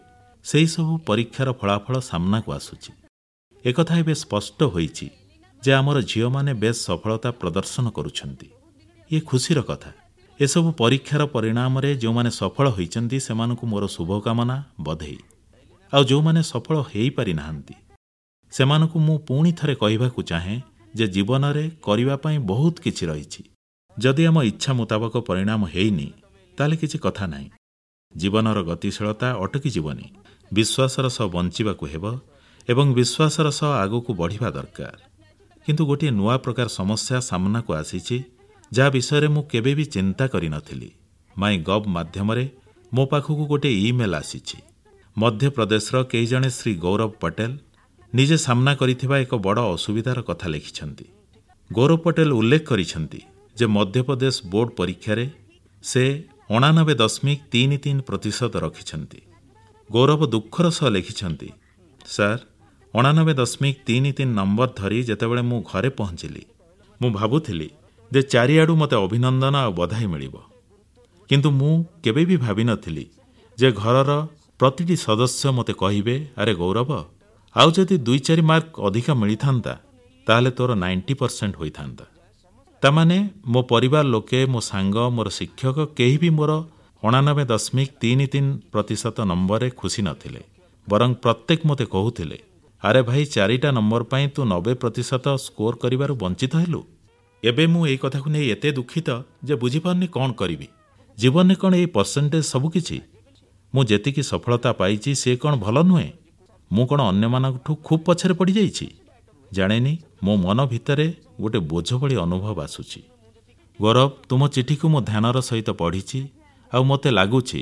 ସେହିସବୁ ପରୀକ୍ଷାର ଫଳାଫଳ ସାମ୍ନାକୁ ଆସୁଛି। ଏକଥା ଏବେ ସ୍ପଷ୍ଟ ହୋଇଛି ଯେ ଆମର ଝିଅମାନେ ବେଶ୍ ସଫଳତା ପ୍ରଦର୍ଶନ କରୁଛନ୍ତି। ଇଏ ଖୁସିର କଥା। ଏସବୁ ପରୀକ୍ଷାର ପରିଣାମରେ ଯେଉଁମାନେ ସଫଳ ହୋଇଛନ୍ତି, ସେମାନଙ୍କୁ ମୋର ଶୁଭକାମନା, ବଧେଇ। ଆଉ ଯେଉଁମାନେ ସଫଳ ହୋଇପାରିନାହାନ୍ତି, ସେମାନଙ୍କୁ ମୁଁ ପୁଣି ଥରେ କହିବାକୁ ଚାହେଁ ଯେ ଜୀବନରେ କରିବା ପାଇଁ ବହୁତ କିଛି ରହିଛି। ଯଦି ଆମ ଇଚ୍ଛା ମୁତାବକ ପରିଣାମ ହେଇନି, ତାହେଲେ କିଛି କଥା ନାହିଁ। ଜୀବନର ଗତିଶୀଳତା ଅଟକି ଯିବନି। ବିଶ୍ୱାସର ସହ ବଞ୍ଚିବାକୁ ହେବ ଏବଂ ବିଶ୍ୱାସର ସହ ଆଗକୁ ବଢ଼ିବା ଦରକାର। କିନ୍ତୁ ଗୋଟିଏ ନୂଆ ପ୍ରକାର ସମସ୍ୟା ସାମ୍ନାକୁ ଆସିଛି, ଯାହା ବିଷୟରେ ମୁଁ କେବେ ବି ଚିନ୍ତା କରିନଥିଲି। ମାଇ ଗଭ୍ ମାଧ୍ୟମରେ ମୋ ପାଖକୁ ଗୋଟିଏ ଇମେଲ୍ ଆସିଛି। ମଧ୍ୟପ୍ରଦେଶର କେହି ଜଣେ ଶ୍ରୀ ଗୌରବ ପଟେଲ ନିଜେ ସାମ୍ନା କରିଥିବା ଏକ ବଡ଼ ଅସୁବିଧାର କଥା ଲେଖିଛନ୍ତି। ଗୌରବ ପଟେଲ ଉଲ୍ଲେଖ କରିଛନ୍ତି ଯେ ମଧ୍ୟପ୍ରଦେଶ ବୋର୍ଡ ପରୀକ୍ଷାରେ ସେ 89.33% ରଖିଛନ୍ତି। ଗୌରବ ଦୁଃଖର ସହ ଲେଖିଛନ୍ତି, "ସାର୍, 89.33 ନମ୍ବର ଧରି ଯେତେବେଳେ ମୁଁ ଘରେ ପହଞ୍ଚିଲି, ମୁଁ ଭାବୁଥିଲି ଯେ ଚାରିଆଡ଼ୁ ମୋତେ ଅଭିନନ୍ଦନ ଆଉ ବଧାଇ ମିଳିବ। କିନ୍ତୁ ମୁଁ କେବେ ବି ଭାବିନଥିଲି ଯେ ଘରର ପ୍ରତିଟି ସଦସ୍ୟ ମୋତେ କହିବେ, 'ଆରେ ଗୌରବ, ଆଉ ଯଦି 2-4 ମାର୍କ ଅଧିକ ମିଳିଥାନ୍ତା ତାହେଲେ ତୋର 90% ହୋଇଥାନ୍ତା। ତାମାନେ ମୋ ପରିବାର ଲୋକେ, ମୋ ସାଙ୍ଗ, ମୋର ଶିକ୍ଷକ କେହି ବି ମୋର 89.33% ନମ୍ବରରେ ଖୁସି ନଥିଲେ, ବରଂ ପ୍ରତ୍ୟେକ ମୋତେ କହୁଥିଲେ, ଆରେ ଭାଇ 4ଟା ନମ୍ବର ପାଇଁ ତୁ 90% ସ୍କୋର କରିବାରୁ ବଞ୍ଚିତ ହେଲୁ। ଏବେ ମୁଁ ଏଇ କଥାକୁ ନେଇ ଏତେ ଦୁଃଖିତ ଯେ ବୁଝିପାରୁନି କଣ କରିବି। ଜୀବନରେ କଣ ଏଇ ପରସେଣ୍ଟେଜ ସବୁକିଛି? ମୁଁ ଯେତିକି ସଫଳତା ପାଇଛି ସେ କଣ ଭଲ ନୁହେଁ? ମୁଁ କଣ ଅନ୍ୟମାନଙ୍କଠୁ ଖୁବ୍ ପଛରେ ପଡ଼ିଯାଇଛି? ଜାଣେନି, ମୋ ମନ ଭିତରେ ଗୋଟେ ବୋଝ ଭଳି ଅନୁଭବ ଆସୁଛି। ଗୌରବ, ତୁମ ଚିଠିକୁ ମୁଁ ଧ୍ୟାନର ସହିତ ପଢ଼ିଛି ଆଉ ମୋତେ ଲାଗୁଛି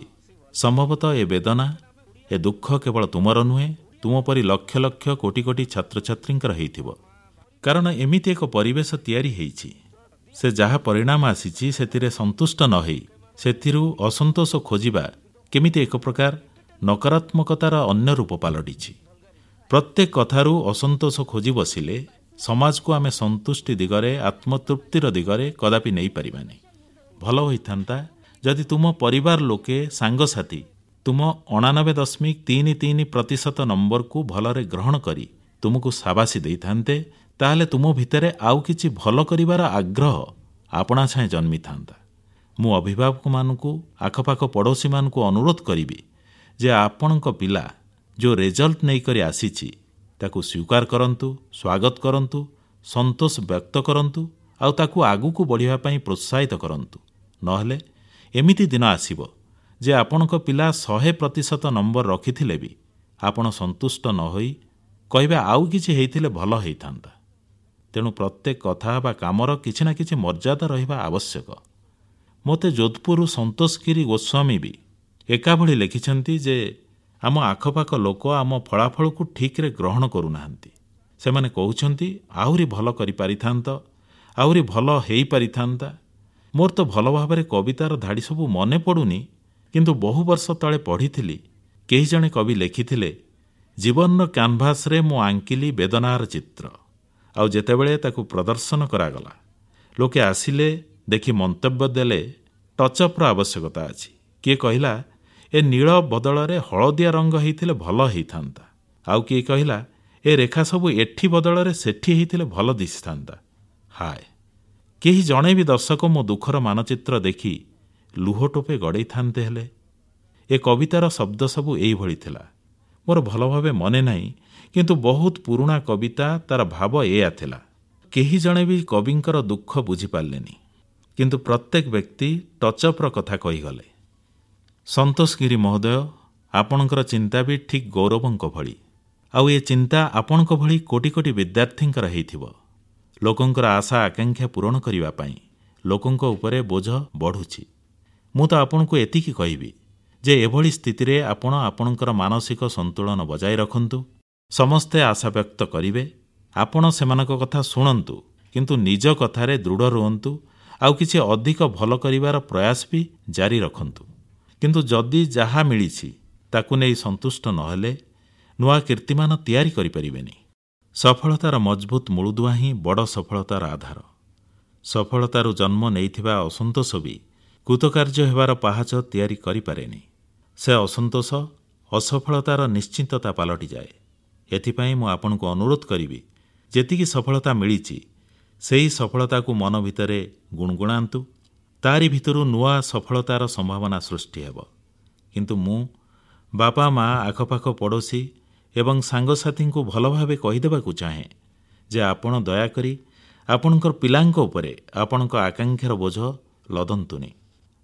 ସମ୍ଭବତଃ ଏ ବେଦନା, ଏ ଦୁଃଖ କେବଳ ତୁମର ନୁହେଁ, ତୁମ ପରି ଲକ୍ଷ ଲକ୍ଷ କୋଟି କୋଟି ଛାତ୍ରଛାତ୍ରୀଙ୍କର ହେଇଥିବ। କାରଣ ଏମିତି ଏକ ପରିବେଶ ତିଆରି ହେଇଛି, ସେ ଯାହା ପରିଣାମ ଆସିଛି ସେଥିରେ ସନ୍ତୁଷ୍ଟ ନ ହେଇ ସେଥିରୁ ଅସନ୍ତୋଷ ଖୋଜିବା କେମିତି ଏକ ପ୍ରକାର ନକାରାତ୍ମକତାର ଅନ୍ୟ ରୂପ ପାଲଟିଛି। ପ୍ରତ୍ୟେକ କଥାରୁ ଅସନ୍ତୋଷ ଖୋଜି ବସିଲେ ସମାଜକୁ ଆମେ ସନ୍ତୁଷ୍ଟି ଦିଗରେ, ଆତ୍ମତୃପ୍ତିର ଦିଗରେ କଦାପି ନେଇପାରିବାନି। ଭଲ ହୋଇଥାନ୍ତା ଯଦି ତୁମ ପରିବାର ଲୋକେ, ସାଙ୍ଗସାଥୀ ତୁମ 89.33% ନମ୍ବରକୁ ଭଲରେ ଗ୍ରହଣ କରି ତୁମକୁ ସାବାସୀ ଦେଇଥାନ୍ତେ, ତାହେଲେ ତୁମ ଭିତରେ ଆଉ କିଛି ଭଲ କରିବାର ଆଗ୍ରହ ଆପଣା ଛାଏଁ ଜନ୍ମିଥାନ୍ତା। ମୁଁ ଅଭିଭାବକମାନଙ୍କୁ, ଆଖପାଖ ପଡ଼ୋଶୀମାନଙ୍କୁ ଅନୁରୋଧ କରିବି ଯେ ଆପଣଙ୍କ ପିଲା ଯେଉଁ ରେଜଲ୍ଟ ନେଇକରି ଆସିଛି ତାକୁ ସ୍ୱୀକାର କରନ୍ତୁ, ସ୍ୱାଗତ କରନ୍ତୁ, ସନ୍ତୋଷ ବ୍ୟକ୍ତ କରନ୍ତୁ ଆଉ ତାକୁ ଆଗକୁ ବଢ଼ିବା ପାଇଁ ପ୍ରୋତ୍ସାହିତ କରନ୍ତୁ। ନହେଲେ ଏମିତି ଦିନ ଆସିବ ଯେ ଆପଣଙ୍କ ପିଲା 100% ନମ୍ବର ରଖିଥିଲେ ବି ଆପଣ ସନ୍ତୁଷ୍ଟ ନ ହୋଇ କହିବେ ଆଉ କିଛି ହେଇଥିଲେ ଭଲ ହେଇଥାନ୍ତା। ତେଣୁ ପ୍ରତ୍ୟେକ କଥା ବା କାମର କିଛି ନା କିଛି ମର୍ଯ୍ୟାଦା ରହିବା ଆବଶ୍ୟକ। ମୋତେ ଯୋଧପୁରରୁ ସନ୍ତୋଷଗିରି ଗୋସ୍ୱାମୀ ବି ଏକାଭଳି ଲେଖିଛନ୍ତି ଯେ ଆମ ଆଖପାଖ ଲୋକ ଆମ ଫଳାଫଳକୁ ଠିକ୍ରେ ଗ୍ରହଣ କରୁନାହାନ୍ତି। ସେମାନେ କହୁଛନ୍ତି ଆହୁରି ଭଲ କରିପାରିଥାନ୍ତ, ଆହୁରି ଭଲ ହେଇପାରିଥାନ୍ତା। ମୋର ତ ଭଲ ଭାବରେ କବିତାର ଧାଡ଼ି ସବୁ ମନେ ପଡ଼ୁନି, କିନ୍ତୁ ବହୁ ବର୍ଷ ତଳେ ପଢ଼ିଥିଲି, କେହି ଜଣେ କବି ଲେଖିଥିଲେ, ଜୀବନର କ୍ୟାନଭାସରେ ମୁଁ ଆଙ୍କିଲି ବେଦନାର ଚିତ୍ର, ଆଉ ଯେତେବେଳେ ତାକୁ ପ୍ରଦର୍ଶନ କରାଗଲା ଲୋକେ ଆସିଲେ, ଦେଖି ମନ୍ତବ୍ୟ ଦେଲେ ଟଚ୍ଅପ୍ର ଆବଶ୍ୟକତା ଅଛି। କିଏ କହିଲା ଏ ନୀଳ ବଦଳରେ ହଳଦିଆ ରଙ୍ଗ ହେଇଥିଲେ ଭଲ ହେଇଥାନ୍ତା, ଆଉ କିଏ କହିଲା ଏ ରେଖା ସବୁ ଏଠି ବଦଳରେ ସେଠି ହେଇଥିଲେ ଭଲ ଦିଶିଥାନ୍ତା। ହାୟ, କେହି ଜଣେ ବି ଦର୍ଶକ ମୋ ଦୁଃଖର ମାନଚିତ୍ର ଦେଖି ଲୁହ ଟୋପେ ଗଡ଼େଇଥାନ୍ତେ ହେଲେ। ଏ କବିତାର ଶବ୍ଦ ସବୁ ଏଇଭଳି ଥିଲା। ମୋର ଭଲ ଭାବେ ମନେ ନାହିଁ, କିନ୍ତୁ ବହୁତ ପୁରୁଣା କବିତା, ତାର ଭାବ ଏଇଆ ଥିଲା। କେହି ଜଣେ ବି କବିଙ୍କର ଦୁଃଖ ବୁଝିପାରିଲେନି, କିନ୍ତୁ ପ୍ରତ୍ୟେକ ବ୍ୟକ୍ତି ଟଚ୍ଅପ୍ର କଥା କହିଗଲେ। ସନ୍ତୋଷଗିରି ମହୋଦୟ, ଆପଣଙ୍କର ଚିନ୍ତା ବି ଠିକ୍ ଗୌରବଙ୍କ ଭଳି, ଆଉ ଏ ଚିନ୍ତା ଆପଣଙ୍କ ଭଳି କୋଟି କୋଟି ବିଦ୍ୟାର୍ଥୀଙ୍କର ହେଇଥିବ। ଲୋକଙ୍କର ଆଶା ଆକାଂକ୍ଷା ପୂରଣ କରିବା ପାଇଁ ଲୋକଙ୍କ ଉପରେ ବୋଝ ବଢ଼ୁଛି। ମୁଁ ତ ଆପଣଙ୍କୁ ଏତିକି କହିବି ଯେ ଏଭଳି ସ୍ଥିତିରେ ଆପଣ ଆପଣଙ୍କର ମାନସିକ ସନ୍ତୁଳନ ବଜାୟ ରଖନ୍ତୁ। ସମସ୍ତେ ଆଶା ବ୍ୟକ୍ତ କରିବେ, ଆପଣ ସେମାନଙ୍କ କଥା ଶୁଣନ୍ତୁ, କିନ୍ତୁ ନିଜ କଥାରେ ଦୃଢ଼ ରୁହନ୍ତୁ ଆଉ କିଛି ଅଧିକ ଭଲ କରିବାର ପ୍ରୟାସ ବି ଜାରି ରଖନ୍ତୁ। କିନ୍ତୁ ଯଦି ଯାହା ମିଳିଛି ତାକୁ ନେଇ ସନ୍ତୁଷ୍ଟ ନହେଲେ ନୂଆ କୀର୍ତ୍ତିମାନ ତିଆରି କରିପାରିବେନି। ସଫଳତାର ମଜବୁତ ମୂଳଦୁଆ ହିଁ ବଡ଼ ସଫଳତାର ଆଧାର। ସଫଳତାରୁ ଜନ୍ମ ନେଇଥିବା ଅସନ୍ତୋଷ ବି କୃତକାର୍ଯ୍ୟ ହେବାର ପାହାଚ ତିଆରି କରିପାରେନି। ସେ ଅସନ୍ତୋଷ ଅସଫଳତାର ନିଶ୍ଚିତତା ପାଲଟିଯାଏ। ଏଥିପାଇଁ ମୁଁ ଆପଣଙ୍କୁ ଅନୁରୋଧ କରିବି, ଯେତିକି ସଫଳତା ମିଳିଛି ସେହି ସଫଳତାକୁ ମନ ଭିତରେ ଗୁଣଗୁଣାନ୍ତୁ, ତାରି ଭିତରୁ ନୂଆ ସଫଳତାର ସମ୍ଭାବନା ସୃଷ୍ଟି ହେବ। କିନ୍ତୁ ମୁଁ ବାପା ମା, ଆଖପାଖ ପଡ଼ୋଶୀ ଏବଂ ସାଙ୍ଗସାଥୀଙ୍କୁ ଭଲ ଭାବେ କହିଦେବାକୁ ଚାହେଁ ଯେ ଆପଣ ଦୟାକରି ଆପଣଙ୍କର ପିଲାଙ୍କ ଉପରେ ଆପଣଙ୍କ ଆକାଂକ୍ଷାର ବୋଝ ଲଦନ୍ତୁନି।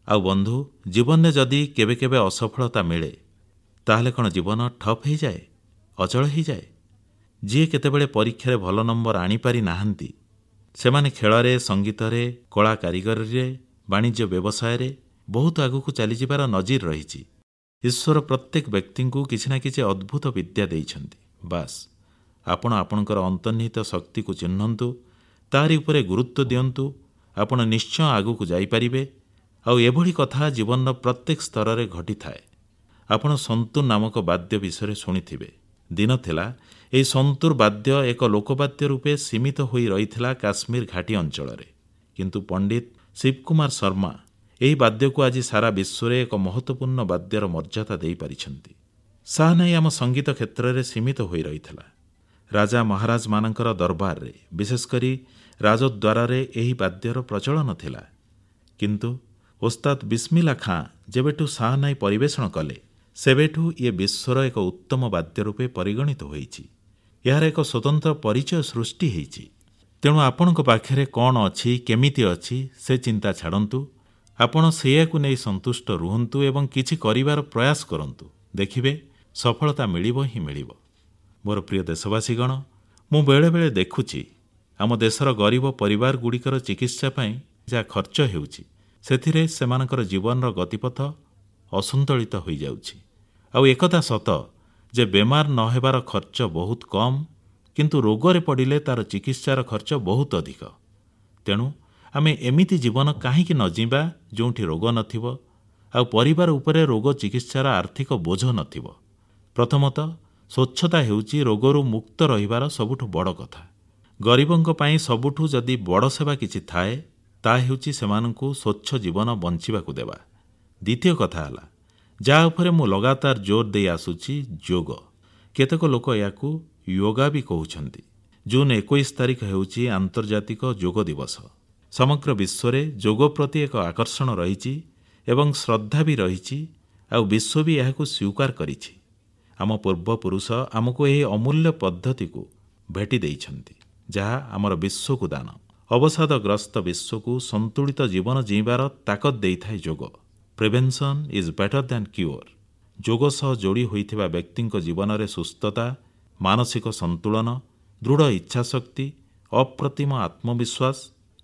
ଆଉ ବନ୍ଧୁ, ଜୀବନରେ ଯଦି କେବେ କେବେ ଅସଫଳତା ମିଳେ ତାହେଲେ କ'ଣ ଜୀବନ ଠପ୍ ହେଇଯାଏ, ଅଚଳ ହେଇଯାଏ? ଯିଏ କେତେବେଳେ ପରୀକ୍ଷାରେ ଭଲ ନମ୍ବର ଆଣିପାରି ନାହାନ୍ତି ସେମାନେ ଖେଳରେ, ସଙ୍ଗୀତରେ, କଳା କାରିଗରୀରେ, ବାଣିଜ୍ୟ ବ୍ୟବସାୟରେ ବହୁତ ଆଗକୁ ଚାଲିଯିବାର ନଜିର ରହିଛି। ଈଶ୍ୱର ପ୍ରତ୍ୟେକ ବ୍ୟକ୍ତିଙ୍କୁ କିଛି ନା କିଛି ଅଦ୍ଭୁତ ବିଦ୍ୟା ଦେଇଛନ୍ତି। ବାସ୍, ଆପଣ ଆପଣଙ୍କର ଅନ୍ତର୍ନିହିତ ଶକ୍ତିକୁ ଚିହ୍ନନ୍ତୁ, ତାରି ଉପରେ ଗୁରୁତ୍ୱ ଦିଅନ୍ତୁ, ଆପଣ ନିଶ୍ଚୟ ଆଗକୁ ଯାଇପାରିବେ। ଆଉ ଏଭଳି କଥା ଜୀବନର ପ୍ରତ୍ୟେକ ସ୍ତରରେ ଘଟିଥାଏ। ଆପଣ ସନ୍ତୁର ନାମକ ବାଦ୍ୟ ବିଷୟରେ ଶୁଣିଥିବେ। ଦିନ ଥିଲା ଏହି ସନ୍ତୁର ବାଦ୍ୟ ଏକ ଲୋକବାଦ୍ୟ ରୂପେ ସୀମିତ ହୋଇ ରହିଥିଲା କାଶ୍ମୀର ଘାଟି ଅଞ୍ଚଳରେ। କିନ୍ତୁ ପଣ୍ଡିତ ଶିବକୁମାର ଶର୍ମା ଏହି ବାଦ୍ୟକୁ ଆଜି ସାରା ବିଶ୍ୱରେ ଏକ ମହତ୍ୱପୂର୍ଣ୍ଣ ବାଦ୍ୟର ମର୍ଯ୍ୟାଦା ଦେଇପାରିଛନ୍ତି। ସାହାନାଇ ଆମ ସଙ୍ଗୀତ କ୍ଷେତ୍ରରେ ସୀମିତ ହୋଇ ରହିଥିଲା। ରାଜା ମହାରାଜମାନଙ୍କର ଦରବାରରେ, ବିଶେଷକରି ରାଜଦ୍ୱାରରେ ଏହି ବାଦ୍ୟର ପ୍ରଚଳନ ଥିଲା। କିନ୍ତୁ ଓସ୍ତାଦ ବିସ୍ମିଲ୍ଲା ଖାଁ ଯେବେଠୁ ଶାହାନାଇ ପରିବେଷଣ କଲେ, ସେବେଠୁ ଇଏ ବିଶ୍ୱର ଏକ ଉତ୍ତମ ବାଦ୍ୟ ରୂପେ ପରିଗଣିତ ହୋଇଛି। ଏହାର ଏକ ସ୍ୱତନ୍ତ୍ର ପରିଚୟ ସୃଷ୍ଟି ହୋଇଛି। ତେଣୁ ଆପଣଙ୍କ ପାଖରେ କଣ ଅଛି, କେମିତି ଅଛି, ସେ ଚିନ୍ତା ଛାଡ଼ନ୍ତୁ। ଆପଣ ସେଇଆକୁ ନେଇ ସନ୍ତୁଷ୍ଟ ରୁହନ୍ତୁ ଏବଂ କିଛି କରିବାର ପ୍ରୟାସ କରନ୍ତୁ। ଦେଖିବେ, ସଫଳତା ମିଳିବ ହିଁ ମିଳିବ। ମୋର ପ୍ରିୟ ଦେଶବାସୀଗଣ, ମୁଁ ବେଳେବେଳେ ଦେଖୁଛି ଆମ ଦେଶର ଗରିବ ପରିବାରଗୁଡ଼ିକର ଚିକିତ୍ସା ପାଇଁ ଯାହା ଖର୍ଚ୍ଚ ହେଉଛି, ସେଥିରେ ସେମାନଙ୍କର ଜୀବନର ଗତିପଥ ଅସନ୍ତୁଳିତ ହୋଇଯାଉଛି। ଆଉ ଏକଥା ସତ ଯେ ବେମାର ନ ହେବାର ଖର୍ଚ୍ଚ ବହୁତ କମ୍, କିନ୍ତୁ ରୋଗରେ ପଡ଼ିଲେ ତାର ଚିକିତ୍ସାର ଖର୍ଚ୍ଚ ବହୁତ ଅଧିକ। ତେଣୁ ଆମେ ଏମିତି ଜୀବନ କାହିଁକି ନ ଜୀଇଁବା ଯେଉଁଠି ରୋଗ ନଥିବ ଆଉ ପରିବାର ଉପରେ ରୋଗ ଚିକିତ୍ସାର ଆର୍ଥିକ ବୋଝ ନଥିବ। ପ୍ରଥମତଃ ସ୍ୱଚ୍ଛତା ହେଉଛି ରୋଗରୁ ମୁକ୍ତ ରହିବାର ସବୁଠୁ ବଡ଼ କଥା। ଗରିବଙ୍କ ପାଇଁ ସବୁଠୁ ଯଦି ବଡ଼ ସେବା କିଛି ଥାଏ, ତାହା ହେଉଛି ସେମାନଙ୍କୁ ସ୍ୱଚ୍ଛ ଜୀବନ ବଞ୍ଚିବାକୁ ଦେବା। ଦ୍ୱିତୀୟ କଥା ହେଲା, ଯାହା ଉପରେ ମୁଁ ଲଗାତାର ଜୋର ଦେଇ ଆସୁଛି, ଯୋଗ। କେତେକ ଲୋକ ଏହାକୁ ୟୋଗା ବି କହୁଛନ୍ତି। ଜୁନ୍ 21 ତାରିଖ ହେଉଛି ଆନ୍ତର୍ଜାତିକ ଯୋଗ ଦିବସ। ସମଗ୍ର ବିଶ୍ୱରେ ଯୋଗ ପ୍ରତି ଏକ ଆକର୍ଷଣ ରହିଛି ଏବଂ ଶ୍ରଦ୍ଧା ବି ରହିଛି, ଆଉ ବିଶ୍ୱ ବି ଏହାକୁ ସ୍ୱୀକାର କରିଛି। ଆମ ପୂର୍ବପୁରୁଷ ଆମକୁ ଏହି ଅମୂଲ୍ୟ ପଦ୍ଧତିକୁ ଭେଟି ଦେଇଛନ୍ତି, ଯାହା ଆମର ବିଶ୍ୱକୁ ଦାନ। ଅବସାଦଗ୍ରସ୍ତ ବିଶ୍ୱକୁ ସନ୍ତୁଳିତ ଜୀବନ ଜୀଇଁବାର ତାକତ ଦେଇଥାଏ ଯୋଗ। Prevention is better than cure. ଯୋଗ ସହ ଯୋଡ଼ି ହୋଇଥିବା ବ୍ୟକ୍ତିଙ୍କ ଜୀବନରେ ସୁସ୍ଥତା, ମାନସିକ ସନ୍ତୁଳନ, ଦୃଢ଼ ଇଚ୍ଛାଶକ୍ତି, ଅପ୍ରତିମ ଆତ୍ମବିଶ୍ୱାସ,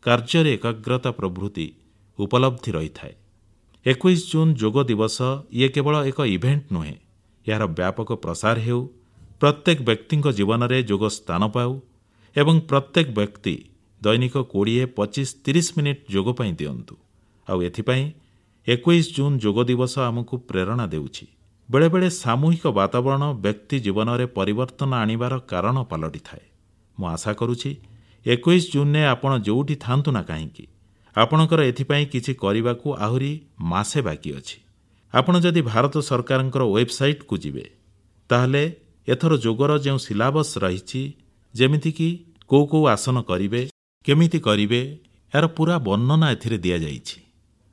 କାର୍ଯ୍ୟରେ ଏକାଗ୍ରତା ପ୍ରଭୃତି ଉପଲବ୍ଧି ରହିଥାଏ। 21 ଜୁନ୍ ଯୋଗ ଦିବସ ଇଏ କେବଳ ଏକ ଇଭେଣ୍ଟ ନୁହେଁ, ଏହାର ବ୍ୟାପକ ପ୍ରସାର ହେଉ, ପ୍ରତ୍ୟେକ ବ୍ୟକ୍ତିଙ୍କ ଜୀବନରେ ଯୋଗ ସ୍ଥାନ ପାଉ ଏବଂ ପ୍ରତ୍ୟେକ ବ୍ୟକ୍ତି ଦୈନିକ 20, 25, 30 ମିନିଟ୍ ଯୋଗ ପାଇଁ ଦିଅନ୍ତୁ। ଆଉ ଏଥିପାଇଁ 21 ଜୁନ୍ ଯୋଗ ଦିବସ ଆମକୁ ପ୍ରେରଣା ଦେଉଛି। ବେଳେବେଳେ ସାମୂହିକ ବାତାବରଣ ବ୍ୟକ୍ତି ଜୀବନରେ ପରିବର୍ତ୍ତନ ଆଣିବାର କାରଣ ପାଲଟିଥାଏ। ମୁଁ ଆଶା କରୁଛି 21 ଜୁନରେ ଆପଣ ଯେଉଁଠି ଥାଆନ୍ତୁ ନା କାହିଁକି, ଆପଣଙ୍କର ଏଥିପାଇଁ କିଛି କରିବାକୁ ଆହୁରି ମାସେ ବାକି ଅଛି। ଆପଣ ଯଦି ଭାରତ ସରକାରଙ୍କର ୱେବସାଇଟକୁ ଯିବେ, ତାହେଲେ ଏଥର ଯୋଗର ଯେଉଁ ସିଲାବସ୍ ରହିଛି, ଯେମିତିକି କେଉଁ କେଉଁ ଆସନ କରିବେ, କେମିତି କରିବେ, ଏହାର ପୁରା ବର୍ଣ୍ଣନା ଏଥିରେ ଦିଆଯାଇଛି।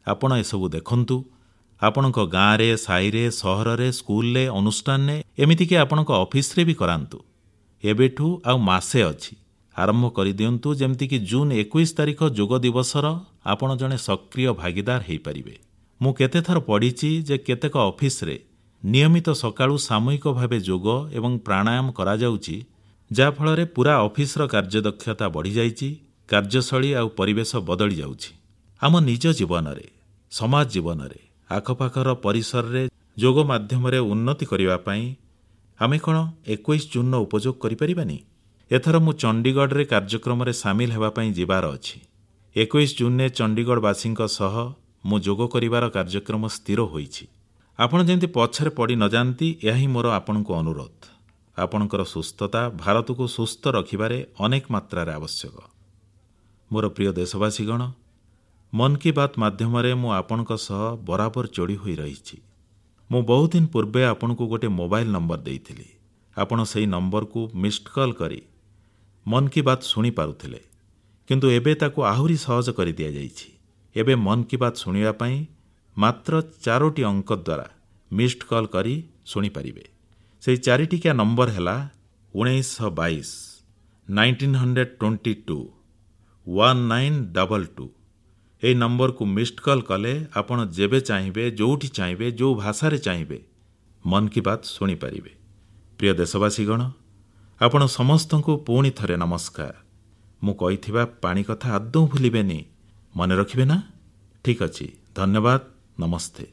ଆପଣ ଏସବୁ ଦେଖନ୍ତୁ। ଆପଣଙ୍କ ଗାଁରେ, ସାହିରେ, ସହରରେ, ସ୍କୁଲରେ, ଅନୁଷ୍ଠାନରେ, ଏମିତିକି ଆପଣଙ୍କ ଅଫିସରେ ବି କରାନ୍ତୁ। ଏବେଠୁ ଆଉ ମାସେ ଅଛି, ଆରମ୍ଭ କରିଦିଅନ୍ତୁ, ଯେମିତିକି ଜୁନ୍ 21 ତାରିଖ ଯୋଗ ଦିବସର ଆପଣ ଜଣେ ସକ୍ରିୟ ଭାଗିଦାର ହୋଇପାରିବେ। ମୁଁ କେତେଥର ପଢ଼ିଛି ଯେ କେତେକ ଅଫିସରେ ନିୟମିତ ସକାଳୁ ସାମୂହିକ ଭାବେ ଯୋଗ ଏବଂ ପ୍ରାଣାୟାମ କରାଯାଉଛି, ଯାହାଫଳରେ ପୁରା ଅଫିସର କାର୍ଯ୍ୟଦକ୍ଷତା ବଢ଼ିଯାଇଛି, କାର୍ଯ୍ୟଶୈଳୀ ଆଉ ପରିବେଶ ବଦଳି ଯାଉଛି। ଆମ ନିଜ ଜୀବନରେ, ସମାଜ ଜୀବନରେ, ଆଖପାଖର ପରିସରରେ ଯୋଗ ମାଧ୍ୟମରେ ଉନ୍ନତି କରିବା ପାଇଁ ଆମେ କ'ଣ 21 ଜୁନ୍ର ଉପଯୋଗ କରିପାରିବାନି? ଏଥର ମୁଁ ଚଣ୍ଡିଗଡ଼ରେ କାର୍ଯ୍ୟକ୍ରମରେ ସାମିଲ ହେବା ପାଇଁ ଯିବାର ଅଛି। 21 ଜୁନରେ ଚଣ୍ଡିଗଡ଼ବାସୀଙ୍କ ସହ ମୁଁ ଯୋଗ କରିବାର କାର୍ଯ୍ୟକ୍ରମ ସ୍ଥିର ହୋଇଛି। ଆପଣ ଯେମିତି ପଛରେ ପଡ଼ି ନଯାଆନ୍ତି, ଏହା ହିଁ ମୋର ଆପଣଙ୍କୁ ଅନୁରୋଧ। ଆପଣଙ୍କର ସୁସ୍ଥତା ଭାରତକୁ ସୁସ୍ଥ ରଖିବାରେ ଅନେକ ମାତ୍ରାରେ ଆବଶ୍ୟକ। ମୋର ପ୍ରିୟ ଦେଶବାସୀଗଣ, ମନ୍ କି ବାତ୍ ମାଧ୍ୟମରେ ମୁଁ ଆପଣଙ୍କ ସହ ବରାବର ଯୋଡ଼ି ହୋଇ ରହିଛି। ମୁଁ ବହୁଦିନ ପୂର୍ବେ ଆପଣଙ୍କୁ ଗୋଟିଏ ମୋବାଇଲ ନମ୍ବର ଦେଇଥିଲି। ଆପଣ ସେହି ନମ୍ବରକୁ ମିସ୍ଡ କଲ୍ କରି ମନ୍ କି ବାତ୍ ଶୁଣିପାରୁଥିଲେ, କିନ୍ତୁ ଏବେ ତାକୁ ଆହୁରି ସହଜ କରିଦିଆଯାଇଛି। ଏବେ ମନ୍ କି ବାତ୍ ଶୁଣିବା ପାଇଁ ମାତ୍ର 4ଟି ଅଙ୍କ ଦ୍ୱାରା ମିସ୍ଡ କଲ୍ କରି ଶୁଣିପାରିବେ। ସେହି 4ଟିକିଆ ନମ୍ବର ହେଲା 1922 1922 1922। ଏହି ନମ୍ବରକୁ ମିସ୍ଡ କଲ୍ କଲେ ଆପଣ ଯେବେ ଚାହିଁବେ, ଯେଉଁଠି ଚାହିଁବେ, ଯେଉଁ ଭାଷାରେ ଚାହିଁବେ ମନ୍ କି ବାତ୍ ଶୁଣିପାରିବେ। ପ୍ରିୟ ଦେଶବାସୀଗଣ, ଆପଣ ସମସ୍ତଙ୍କୁ ପୁଣି ଥରେ ନମସ୍କାର। ମୁଁ କହିଥିବା ପାଣି କଥା ଆଦୌ ଭୁଲିବେନି, ମନେ ରଖିବେ ନା? ଠିକ୍ ଅଛି, ଧନ୍ୟବାଦ, ନମସ୍ତେ।